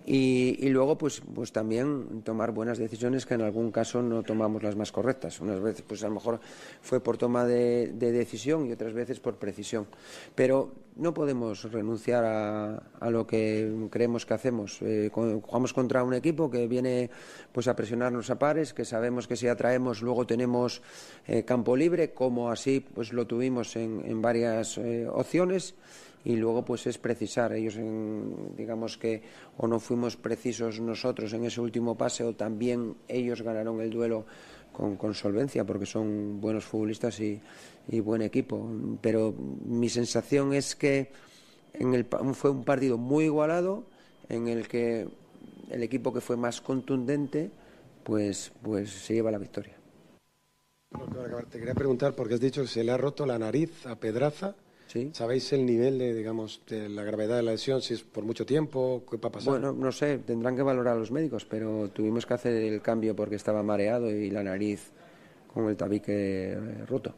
Y luego pues también tomar buenas decisiones, que en algún caso no tomamos las más correctas. Unas veces pues a lo mejor fue por toma de decisión y otras veces por precisión. Pero no podemos renunciar a lo que creemos que hacemos. Jugamos contra un equipo que viene pues a presionarnos a pares, que sabemos que si atraemos luego tenemos campo libre, como así pues lo tuvimos en varias opciones. Y luego pues es precisar. Ellos digamos que o no fuimos precisos nosotros en ese último pase, o también ellos ganaron el duelo con solvencia, porque son buenos futbolistas y buen equipo. Pero mi sensación es que fue un partido muy igualado, en el que el equipo que fue más contundente pues se lleva la victoria. Te quería preguntar, porque has dicho que se le ha roto la nariz a Pedraza. ¿Sí? ¿Sabéis el nivel de la gravedad de la lesión? Si es por mucho tiempo, ¿qué va a pasar? Bueno, no sé, tendrán que valorar los médicos, pero tuvimos que hacer el cambio porque estaba mareado y la nariz con el tabique roto.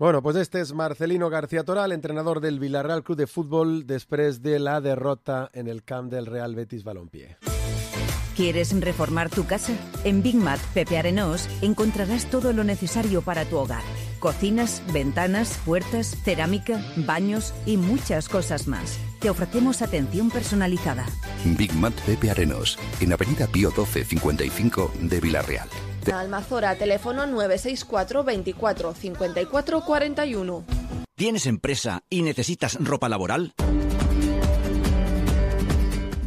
Bueno, pues este es Marcelino García Toral, entrenador del Villarreal Club de Fútbol, después de la derrota en el camp del Real Betis Balompié. ¿Quieres reformar tu casa? En Big Mat Pepe Arenós encontrarás todo lo necesario para tu hogar. Cocinas, ventanas, puertas, cerámica, baños y muchas cosas más. Te ofrecemos atención personalizada. Big Mat Pepe Arenós, en Avenida Pío 12 55 de Villarreal. Almazora, teléfono 964 24 54 41. ¿Tienes empresa y necesitas ropa laboral?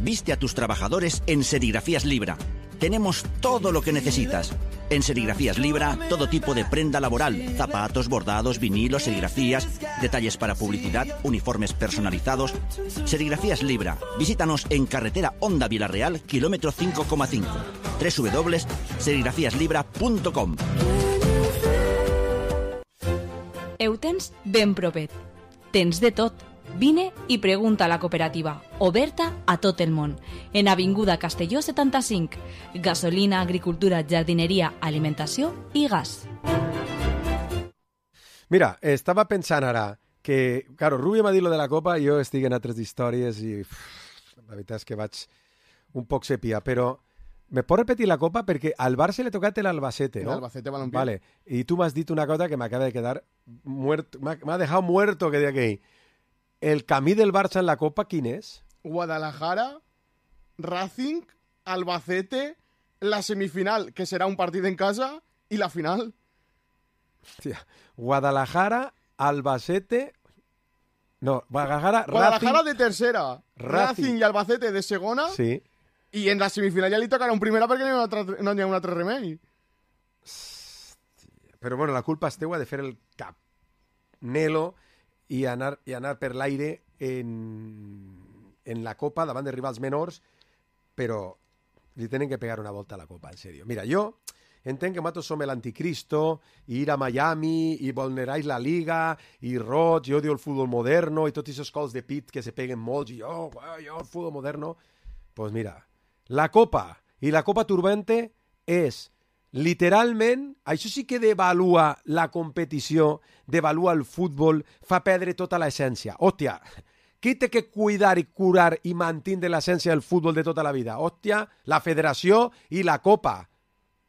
Viste a tus trabajadores en Serigrafías Libra. Tenemos todo lo que necesitas. En Serigrafías Libra, todo tipo de prenda laboral, zapatos, bordados, vinilos, serigrafías, detalles para publicidad, uniformes personalizados. Serigrafías Libra. Visítanos en carretera Honda Villarreal, kilómetro 5,5. www.serigrafiaslibra.com. Ho tens ben propet. Tens de tot. Vine i pregunta a la cooperativa, oberta a tot el món, en Avinguda Castelló 75. Gasolina, agricultura, jardineria, alimentació i gas. Mira, estava pensant ara que, claro, Rubio m'ha dit lo de la Copa, jo estic en altres històries i la veritat és que vaig un poc sepia, però Me pots repetir la copa? Perquè al Barça le tocat l'Albacete, ¿no? Albacete Balompié. Vale, y tú me has dicho una cosa que me acaba de quedar muerto, me ha dejado muerto que de aquí. El camí del Barça en la copa, ¿quién es? Guadalajara, Racing, Albacete, la semifinal, que será un partido en casa, y la final. Hostia. Guadalajara, Albacete... No, Guadalajara Racing, de tercera, Racing y Albacete de segona, sí. Y en la semifinal ya li tocarà un primera perquè no hi ha un altre remei. Però bueno, la culpa és teua de fer el cap Nelo i anar per l'aire en la Copa davant de rivals menors, però li tenen que pegar una volta a la Copa, en sèrio. Mira, jo entenc que nosaltres som l'anticristo, i ir a Miami, i vulneráis la Liga, i roig, i odio el futbol moderno, i tots aquests cols de pit que se peguen molts, i jo el futbol moderno. Pues mira, la Copa i la Copa Turbante és literalment, això sí que devalua la competició, devalua el futbol, fa perdre tota l'essència. Hòstia, qui té que cuidar i curar i mantindre l'essència del futbol de tota la vida? Hòstia, la federació i la Copa.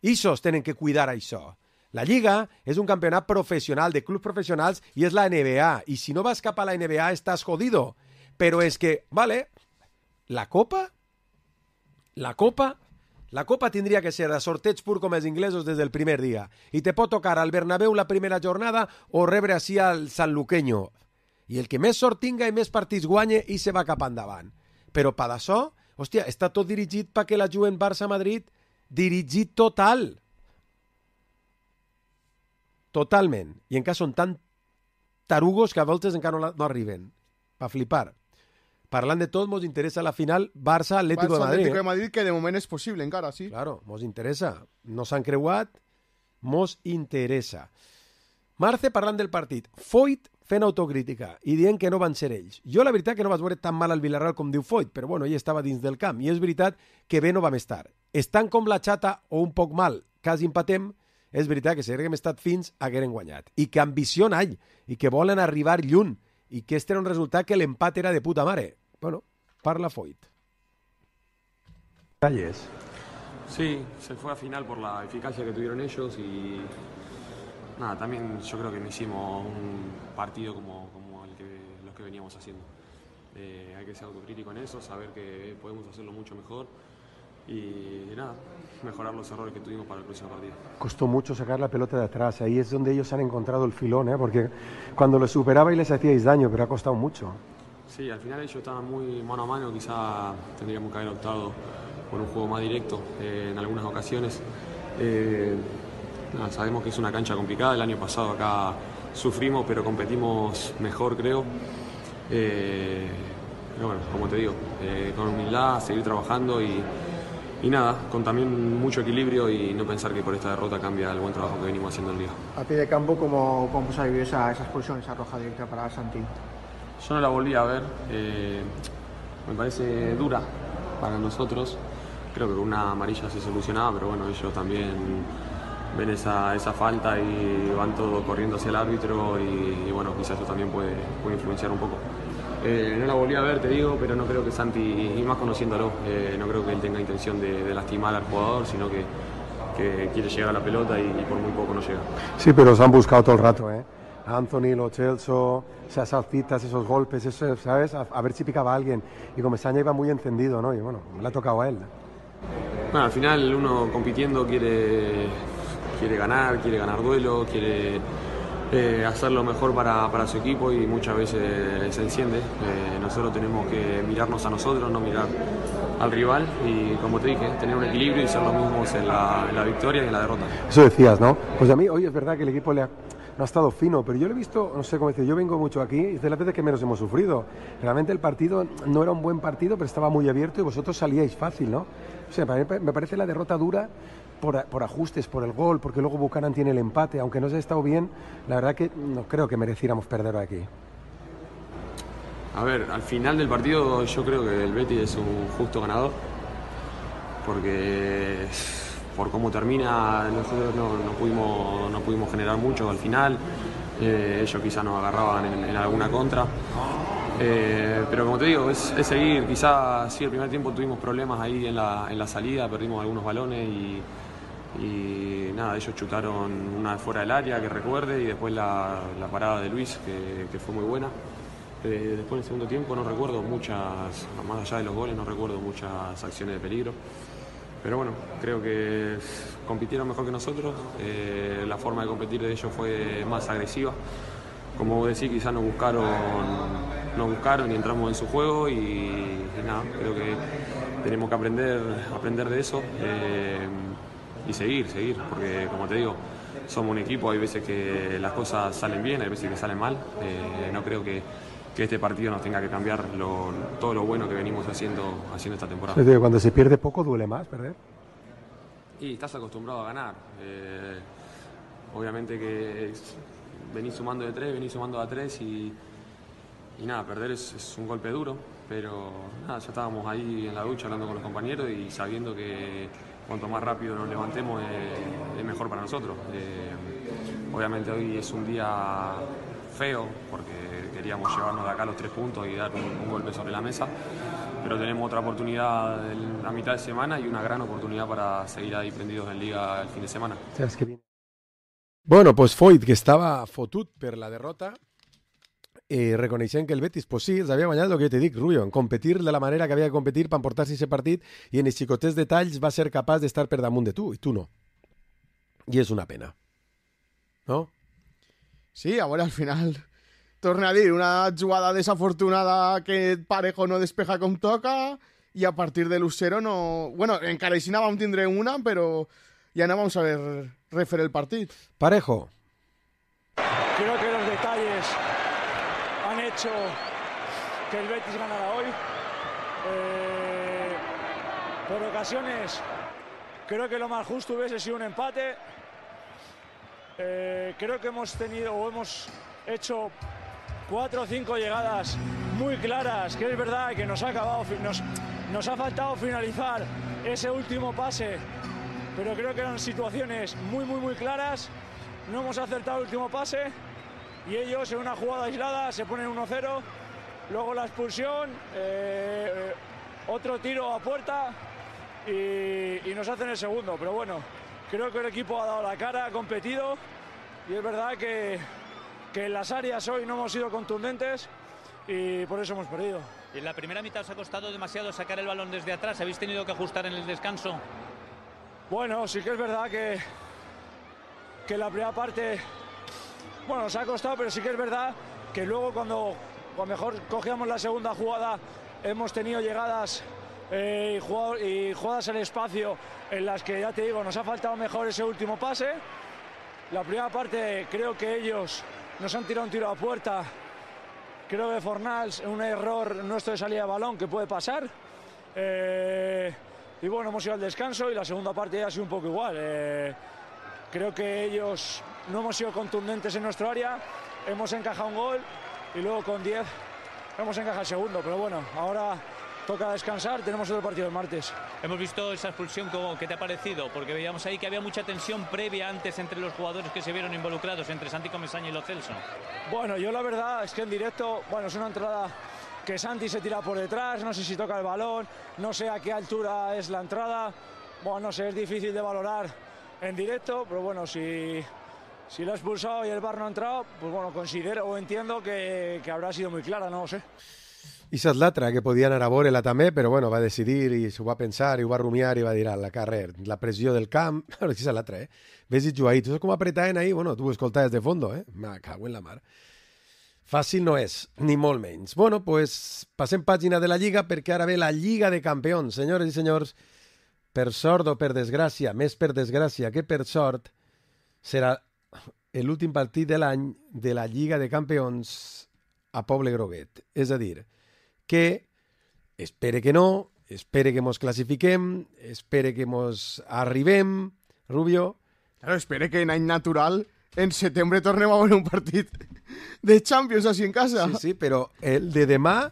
Ixos tenen que cuidar això. La Lliga és un campionat professional, de clubs professionals, i és la NBA. I si no vas cap a la NBA, estàs jodido. Però és que, vale, la Copa tindria que ser de sorteig pur com els inglesos des del primer dia. I te pot tocar al Bernabéu la primera jornada o rebre així al Sanluqueño. I el que més sort tinga i més partits guanye i se va cap endavant. Però per això, hòstia, està tot dirigit perquè la juguen Barça-Madrid, dirigit total. Totalment. I encara són tan tarugos que a voltes encara no arriben. Pa flipar. Parlant de tot, mos interessa la final Barça-Atlético de Madrid. Atlético de Madrid, que de moment és possible encara, sí. Claro, mos interessa. No s'han creuat, mos interessa. Marce parlant del partit. Foyt fent autocrítica i dient que no van ser ells. Jo la veritat que no vaig veure tan mal al Villarreal com diu Foyt, però bueno, ell estava dins del camp i és veritat que bé no vam estar. Estan com la xata o un poc mal, quasi empatem, és veritat que si haguem estat fins hagueren guanyat. I que ambició n'hi i que volen arribar lluny i que este era un resultat que l'empat era de puta mare. Bueno, parla Foyt. Detalles. Sí, se fue a final por la eficacia que tuvieron ellos y nada, también yo creo que no hicimos un partido como los que veníamos haciendo. Hay que ser autocrítico en eso, saber que podemos hacerlo mucho mejor y nada, mejorar los errores que tuvimos para el próximo partido. Costó mucho sacar la pelota de atrás, ahí es donde ellos han encontrado el filón, porque cuando lo superaba y les hacíais daño, pero ha costado mucho. Sí, al final ellos estaban muy mano a mano, quizá tendríamos que haber optado por un juego más directo en algunas ocasiones. Nada, sabemos que es una cancha complicada, el año pasado acá sufrimos, pero competimos mejor, creo. Pero bueno, como te digo, con humildad, seguir trabajando y nada, con también mucho equilibrio y no pensar que por esta derrota cambia el buen trabajo que venimos haciendo en Liga. A pie de campo, ¿cómo se ha vivido esa expulsión, esa roja directa para Santi? Yo no la volví a ver, me parece dura para nosotros, creo que con una amarilla se solucionaba, pero bueno, ellos también ven esa falta y van todos corriendo hacia el árbitro y bueno, quizás eso también puede influenciar un poco. No la volví a ver, te digo, pero no creo que Santi, y más conociéndolo, no creo que él tenga intención de lastimar al jugador, sino que quiere llegar a la pelota y por muy poco no llega. Sí, pero se han buscado todo el rato, Anthony, Lo Celso, esas saltitas, esos golpes, eso, ¿sabes? A ver si picaba a alguien. Y Comesaña iba muy encendido, ¿no? Y bueno, le ha tocado a él. Bueno, al final uno compitiendo quiere ganar duelo, quiere hacer lo mejor para su equipo y muchas veces se enciende. Nosotros tenemos que mirarnos a nosotros, no mirar al rival y, como te dije, tener un equilibrio y ser los mismos en la victoria y en la derrota. Eso decías, ¿no? Pues a mí hoy es verdad que el equipo no ha estado fino, pero yo lo he visto, no sé cómo decir, yo vengo mucho aquí y es de las veces que menos hemos sufrido. Realmente el partido no era un buen partido, pero estaba muy abierto y vosotros salíais fácil, ¿no? O sea, me parece la derrota dura por ajustes, por el gol, porque luego Buchanan tiene el empate, aunque no se ha estado bien, la verdad que no creo que mereciéramos perder aquí. A ver, al final del partido yo creo que el Betis es un justo ganador, porque por cómo termina nosotros no pudimos generar mucho al final, ellos quizás nos agarraban en alguna contra. Pero como te digo, es seguir. Quizás sí, el primer tiempo tuvimos problemas ahí en la salida, perdimos algunos balones y nada, ellos chutaron una de fuera del área que recuerde, y después la parada de Luis que fue muy buena. Después en el segundo tiempo no recuerdo muchas, más allá de los goles, no recuerdo muchas acciones de peligro. Pero bueno, creo que compitieron mejor que nosotros, la forma de competir de ellos fue más agresiva. Como vos decís, quizás nos buscaron y entramos en su juego y nada, creo que tenemos que aprender de eso y seguir, porque como te digo, somos un equipo, hay veces que las cosas salen bien, hay veces que salen mal. No creo que este partido nos tenga que cambiar todo lo bueno que venimos haciendo esta temporada. Sí, cuando se pierde poco duele más perder. Y estás acostumbrado a ganar. Obviamente que venís sumando de 3, venís sumando a 3 y nada, perder es un golpe duro, pero nada, ya estábamos ahí en la ducha hablando con los compañeros y sabiendo que cuanto más rápido nos levantemos es mejor para nosotros. Obviamente hoy es un día feo porque queríamos llevarnos de acá los 3 puntos y dar un golpe sobre la mesa, pero tenemos otra oportunidad en la mitad de semana y una gran oportunidad para seguir ahí prendidos en Liga el fin de semana. Bueno, pues Foyt, que estava fotut per la derrota, reconeixent que el Betis, pues sí, els havia guanyat el que te dic, Rubio, en competir de la manera que havia de competir per emportar-se aquest partit, i en els xicotets detalls va ser capaç d'estar per damunt de tu, i tu no. I és una pena. ¿No? Sí, a veure, al final, torna a dir, una jugada desafortunada que Parejo no despeja com toca, i a partir de l'1-0 no... Bueno, encara així vam tindre una, però ja no vamos a ver refer el partit. Parejo. Creo que los detalles han hecho que el Betis ganara hoy. Por ocasiones creo que lo más justo hubiese sido un empate. Creo que hemos hecho 4 o 5 llegadas muy claras, que es verdad que nos ha faltado finalizar ese último pase, pero creo que eran situaciones muy claras. No hemos acertado el último pase y ellos en una jugada aislada se ponen 1-0, luego la expulsión, otro tiro a puerta y nos hacen el segundo. Pero bueno, creo que el equipo ha dado la cara, ha competido y es verdad que en las áreas hoy no hemos sido contundentes y por eso hemos perdido. Y en la primera mitad os ha costado demasiado sacar el balón desde atrás, ¿habéis tenido que ajustar en el descanso? Bueno, sí que es verdad que la primera parte, bueno, nos ha costado, pero sí que es verdad que luego cuando mejor cogíamos la segunda jugada hemos tenido llegadas y jugadas al espacio en las que, ya te digo, nos ha faltado mejor ese último pase. La primera parte creo que ellos nos han tirado un tiro a puerta, creo que Fornals, un error nuestro de salida de balón que puede pasar. Y bueno, hemos ido al descanso y la segunda parte ya ha sido un poco igual. Creo que ellos no hemos sido contundentes en nuestro área, hemos encajado un gol y luego con 10 hemos encajado el segundo. Pero bueno, ahora toca descansar, tenemos otro partido el martes. Hemos visto esa expulsión, ¿qué te ha parecido? Porque veíamos ahí que había mucha tensión previa antes entre los jugadores que se vieron involucrados, entre Santi Comesaña y Lo Celso. Bueno, yo la verdad es que en directo, bueno, es una entrada que Santi se tira por detrás, no sé si toca el balón, no sé a qué altura es la entrada, bueno, no sé, es difícil de valorar en directo, pero bueno, si lo ha expulsado y el VAR no ha entrado, pues bueno, considero o entiendo que habrá sido muy clara, no ho sé. I esa és l'altra, que podia anar a veure-la també, però bueno, va decidir i s'ho va pensar i ho va rumiar i va dir a la carrer, la pressió del camp, esa és l'altra, ves i jugar ahí, tu saps com apretaven ahí? Bueno, tu ho escoltaves de fondo, me cago en la mar. Fàcil no és, ni molt menys. Bueno, pues passem pàgina de la Lliga perquè ara ve la Lliga de Campions. Senyores i senyors, per sort o per desgràcia, més per desgràcia que per sort, serà l'últim partit de l'any de la Lliga de Campions a Poble Groguet. És a dir, que espere que no, espere que mos classifiquem, espere que mos arribem, Rubio. Claro, espere que en any natural en setembre tornem a veure un partit de Champions així en casa. Sí, sí, però el de demà...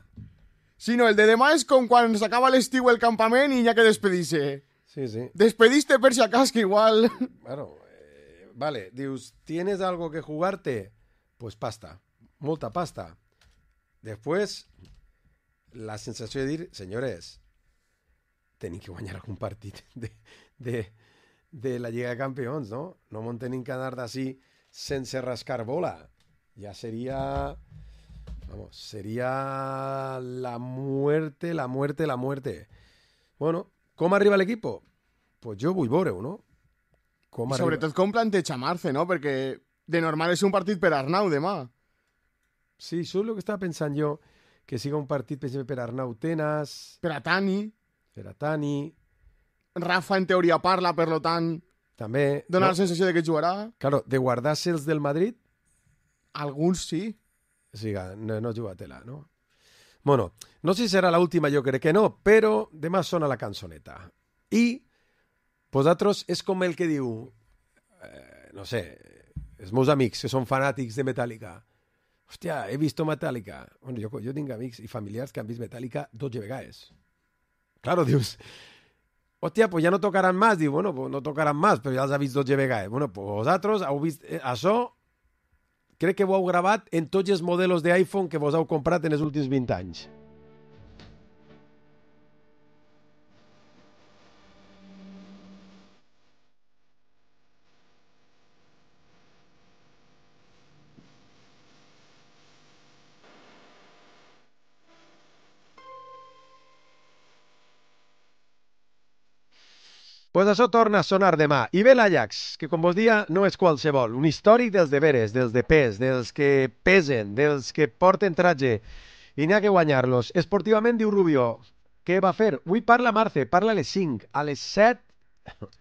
Sí, no, el de demà és com quan s'acaba l'estiu el campament i hi ha que despedir-se. Sí, sí. Despediste per si acaso que igual... Claro, vale, dius, ¿tienes algo que jugarte? pues pasta, molta pasta. Després, la sensació de dir, senyores, tenim que guanyar algun partit de la Lliga de Campions, no? No m'ho tenim que anar d'ací sense rascar bola. Ja seria... Vamos, seria la muerte. Bueno, com arriba l'equip? Pues jo vull veure-ho, no? I sobretot com planteja Marce, no? Perquè de normal és un partit per Arnau demà. Sí, això és el que estava pensant jo, que siga un partit per Arnau Tenas... Per a Tani. Rafa en teoria parla, per lo tant... També... Dona la sensació de que jugarà. Claro, de guardar-se els del Madrid... Alguns sí. Sí, no jugatela, no? Bueno, no sé si serà l'última, jo crec que no, però demà sona la cançoneta. I vosaltres és com el que diu, no sé, els meus amics que són fanàtics de Metallica. Hòstia, he vist Metallica. Bueno, jo tinc amics i familiars que han vist Metallica 12 vegades. Claro, dius, hòstia, pues ja no tocaran más. Diu, bueno, pues no tocaran más, però ja els ha vist 12 vegades. Bueno, pues vosaltres heu vist això... Crec que ho heu gravat en tots els models d'iPhone que vos heu comprat en els últims 20 anys. Pues això torna a sonar demà. I ve l'Ajax, que com vos dia no és qualsevol. Un històric dels deberes, dels de pes, dels que pesen, dels que porten tratge. I n'hi ha que guanyar-los. Esportivament, diu Rubio, què va fer? Avui parla Marce, parla a les 5. A les 7...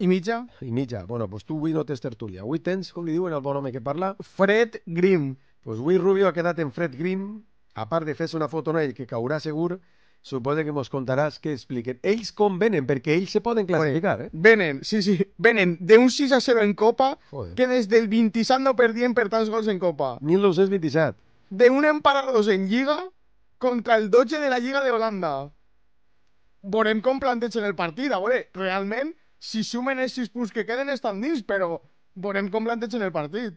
I mitja? I mitja. Bueno, pues tu avui no tens tertúlia. Avui tens, com li diuen el bon home que parla? Fred Grimm. Pues avui Rubio ha quedat en Fred Grimm, a part de fer-se una foto en ell que caurà segur. Suposo que mos contaràs que expliquen. Ells com venen, perquè ells se poden classificar, Venen, sí, venen d'un 6-0 en Copa, joder, que des del 27 no perdien per tants gols en Copa. 1927. D'un empat a 2 en Lliga contra el 12 de la Lliga de Holanda. Veurem com plantegen el partit. A veure, realment, si sumen els 6 punts que queden estan dins, però veurem com plantegen el partit.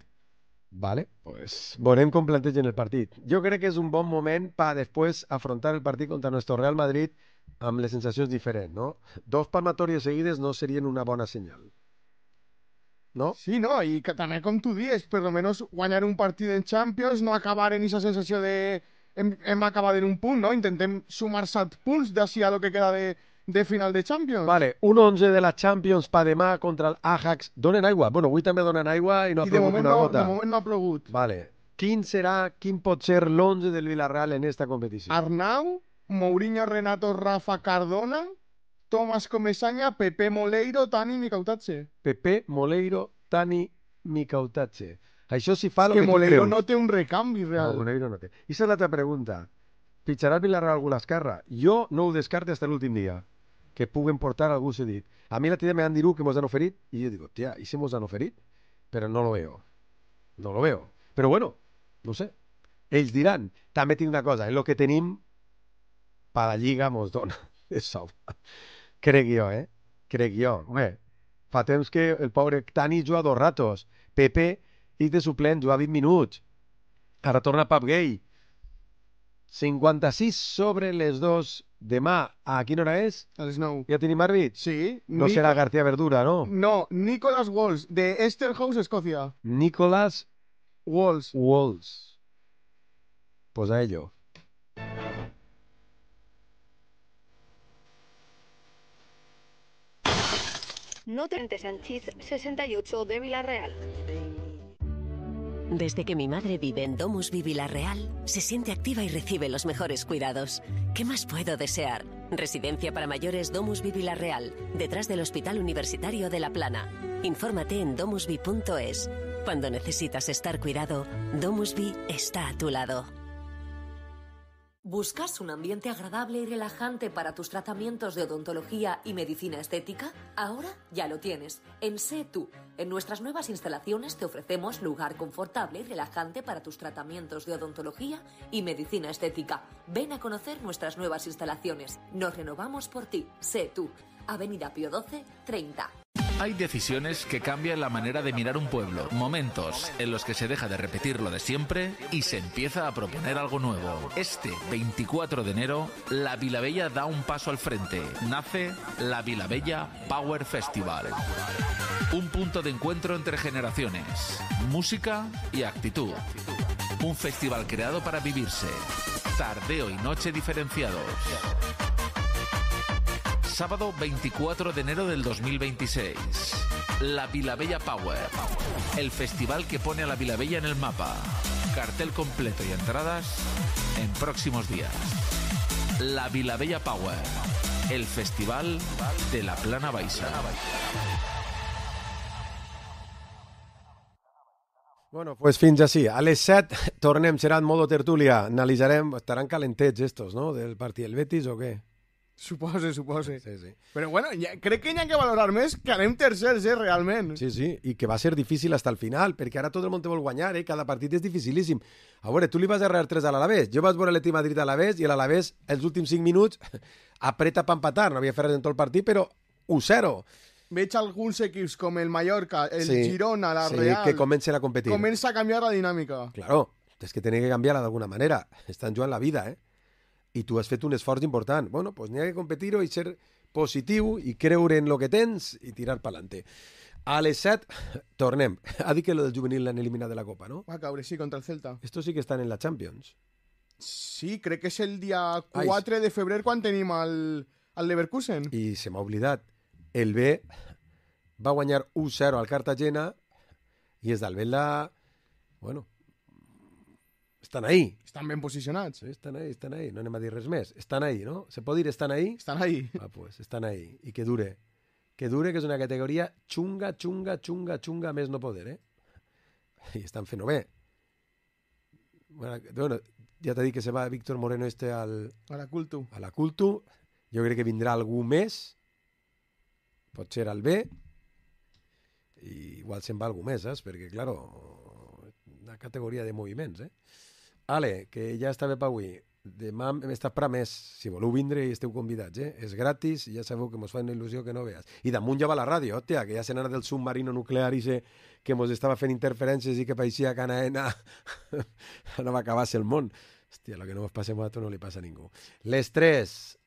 Vale, pues veurem com plantegen el partit. Jo crec que és un bon moment per després afrontar el partit contra nuestro Real Madrid amb les sensacions diferents, no? 2 palmatòries seguides no serien una bona senyal. No? Sí, no, i que també, com tu dius, per almenys guanyar un partit en Champions, no acabar en aquesta sensació de hem acabat en un punt, no? Intentem sumar 7 punts d'ací a lo que queda de final de Champions. Vale, un 11 de la Champions pa demà contra el Ajax. Donen aigua? Bueno, avui també donen aigua i no ha plogut una gota. De moment no ha plogut. Vale. Quin pot ser l'11 del Villarreal en esta competició? Arnau, Mourinho, Renato, Rafa, Cardona, Tomás Comesaña, Pepe Moleiro, Tani, Mikautadze. Pepe Moleiro, Tani, Mikautadze. Això si fa el que tu Moleiro creus. No té un recanvi real. No, Moleiro no té. I esa és l'altra pregunta. Pitjarà el Villarreal algú a l'esquerra? Jo no ho descarte hasta l'últim dia. Que puguen portar algú cedit. A mi la tía me han dicho que mos han oferit y yo digo, tía, ¿y si mos han oferit? Pero no lo veo. No lo veo. Pero bueno, no sé. Ells diran, també tinc una cosa, és el que tenim per la Lliga mos dona. Això. Crec jo, Crec jo. Home, fa temps que el pobre Tani juga 2 ratos. Pepe, i de suplent, juga 20 minuts. Ara torna Pap Gay. 56 sobre les 2. Demà, a quina hora és? A les 9. Ja tenim àrbit? Sí. No serà García Verdura, no? No, Nicholas Walsh, de Esterhouse, Escòcia. Nicholas Walsh. Pues a ello. No 30 Sánchez, 68 de Villarreal. Desde que mi madre vive en Domusvi Villarreal, se siente activa y recibe los mejores cuidados. ¿Qué más puedo desear? Residencia para mayores Domusvi Villarreal, detrás del Hospital Universitario de La Plana. Infórmate en domusvi.es. Cuando necesitas estar cuidado, Domusvi está a tu lado. ¿Buscas un ambiente agradable y relajante para tus tratamientos de odontología y medicina estética? Ahora ya lo tienes. En Sé Tú. En nuestras nuevas instalaciones te ofrecemos lugar confortable y relajante para tus tratamientos de odontología y medicina estética. Ven a conocer nuestras nuevas instalaciones. Nos renovamos por ti. Sé Tú. Avenida Pío XII, 30. Hay decisiones que cambian la manera de mirar un pueblo, momentos en los que se deja de repetir lo de siempre y se empieza a proponer algo nuevo. Este 24 de enero, la Vilabella da un paso al frente. Nace la Vilabella Power Festival. Un punto de encuentro entre generaciones, música y actitud. Un festival creado para vivirse. Tardeo y noche diferenciados. Sábado 24 de enero del 2026. La Vilabella Power. El festival que pone a la Vilabella en el mapa. Cartel completo y entradas en próximos días. La Vilabella Power. El festival de la Plana Baixa. Bueno, pues fins així. A les 7 tornem, serà en modo tertúlia. Analitzarem, estaran calentets estos, no?, del partit del Betis o què? Supose. Sí. Però bueno, crec que hi ha que valorar més que anem tercers, realment. Sí, i que va ser difícil hasta el final, perquè ara tot el món te vol guanyar, cada partit és dificilíssim. A veure, tu li vas arrear 3 a l'Alavés, jo vaig veure l'Atlètic Madrid a l'Alavés i l'Alavés, els últims 5 minuts, apreta per empatar, no havia fet res en tot el partit, però 1-0. Veig alguns equips com el Mallorca, el Girona, la Real... que comencen a competir. Comença a canviar la dinàmica. Claro, és que tenen que canviar-la d'alguna manera. Estan jugant la vida, I tu has fet un esforç important. Bueno, pues n'hi ha que competir-ho i ser positiu i creure en lo que tens i tirar pa'lante. A les 7 tornem. Ha dit que lo del juvenil l'han eliminat de la Copa, no? Va caure, sí, contra el Celta. Estos sí que estan en la Champions. Sí, crec que és el dia 4 de febrer quan tenim el Leverkusen. I se m'ha oblidat. El B va guanyar 1-0 al Cartagena i els d'Albelda, bueno, estan ahí. Estan ben posicionats. Sí, estan ahí. No anem a dir res més. Estan ahí, ¿no? ¿Se pot dir estan ahí? Estan ahí. Pues estan ahí. I que dure. Que dure, que és una categoria xunga, més no poder, I estan fent-ho bé. Bueno, ja t'he dit que se va Víctor Moreno a la Cultu. A la Cultu. Jo crec que vindrà algú més. Pot ser al B. I igual se'n va algú més, saps? Perquè, claro, una categoria de moviments, Ale, que ja està bé per avui. Demà hem estat per a més. Si voleu vindre i esteu convidats, És gratis i ja sabeu que mos fa una il·lusió que no veas. I damunt ja va la ràdio, hòstia, que ja se n'anà del submarino nuclear i que mos estava fent interferències i que pareixia que Anaena no va acabar-se el món. Hòstia, lo que no mos passem a tu no li passa a ningú. Les 3.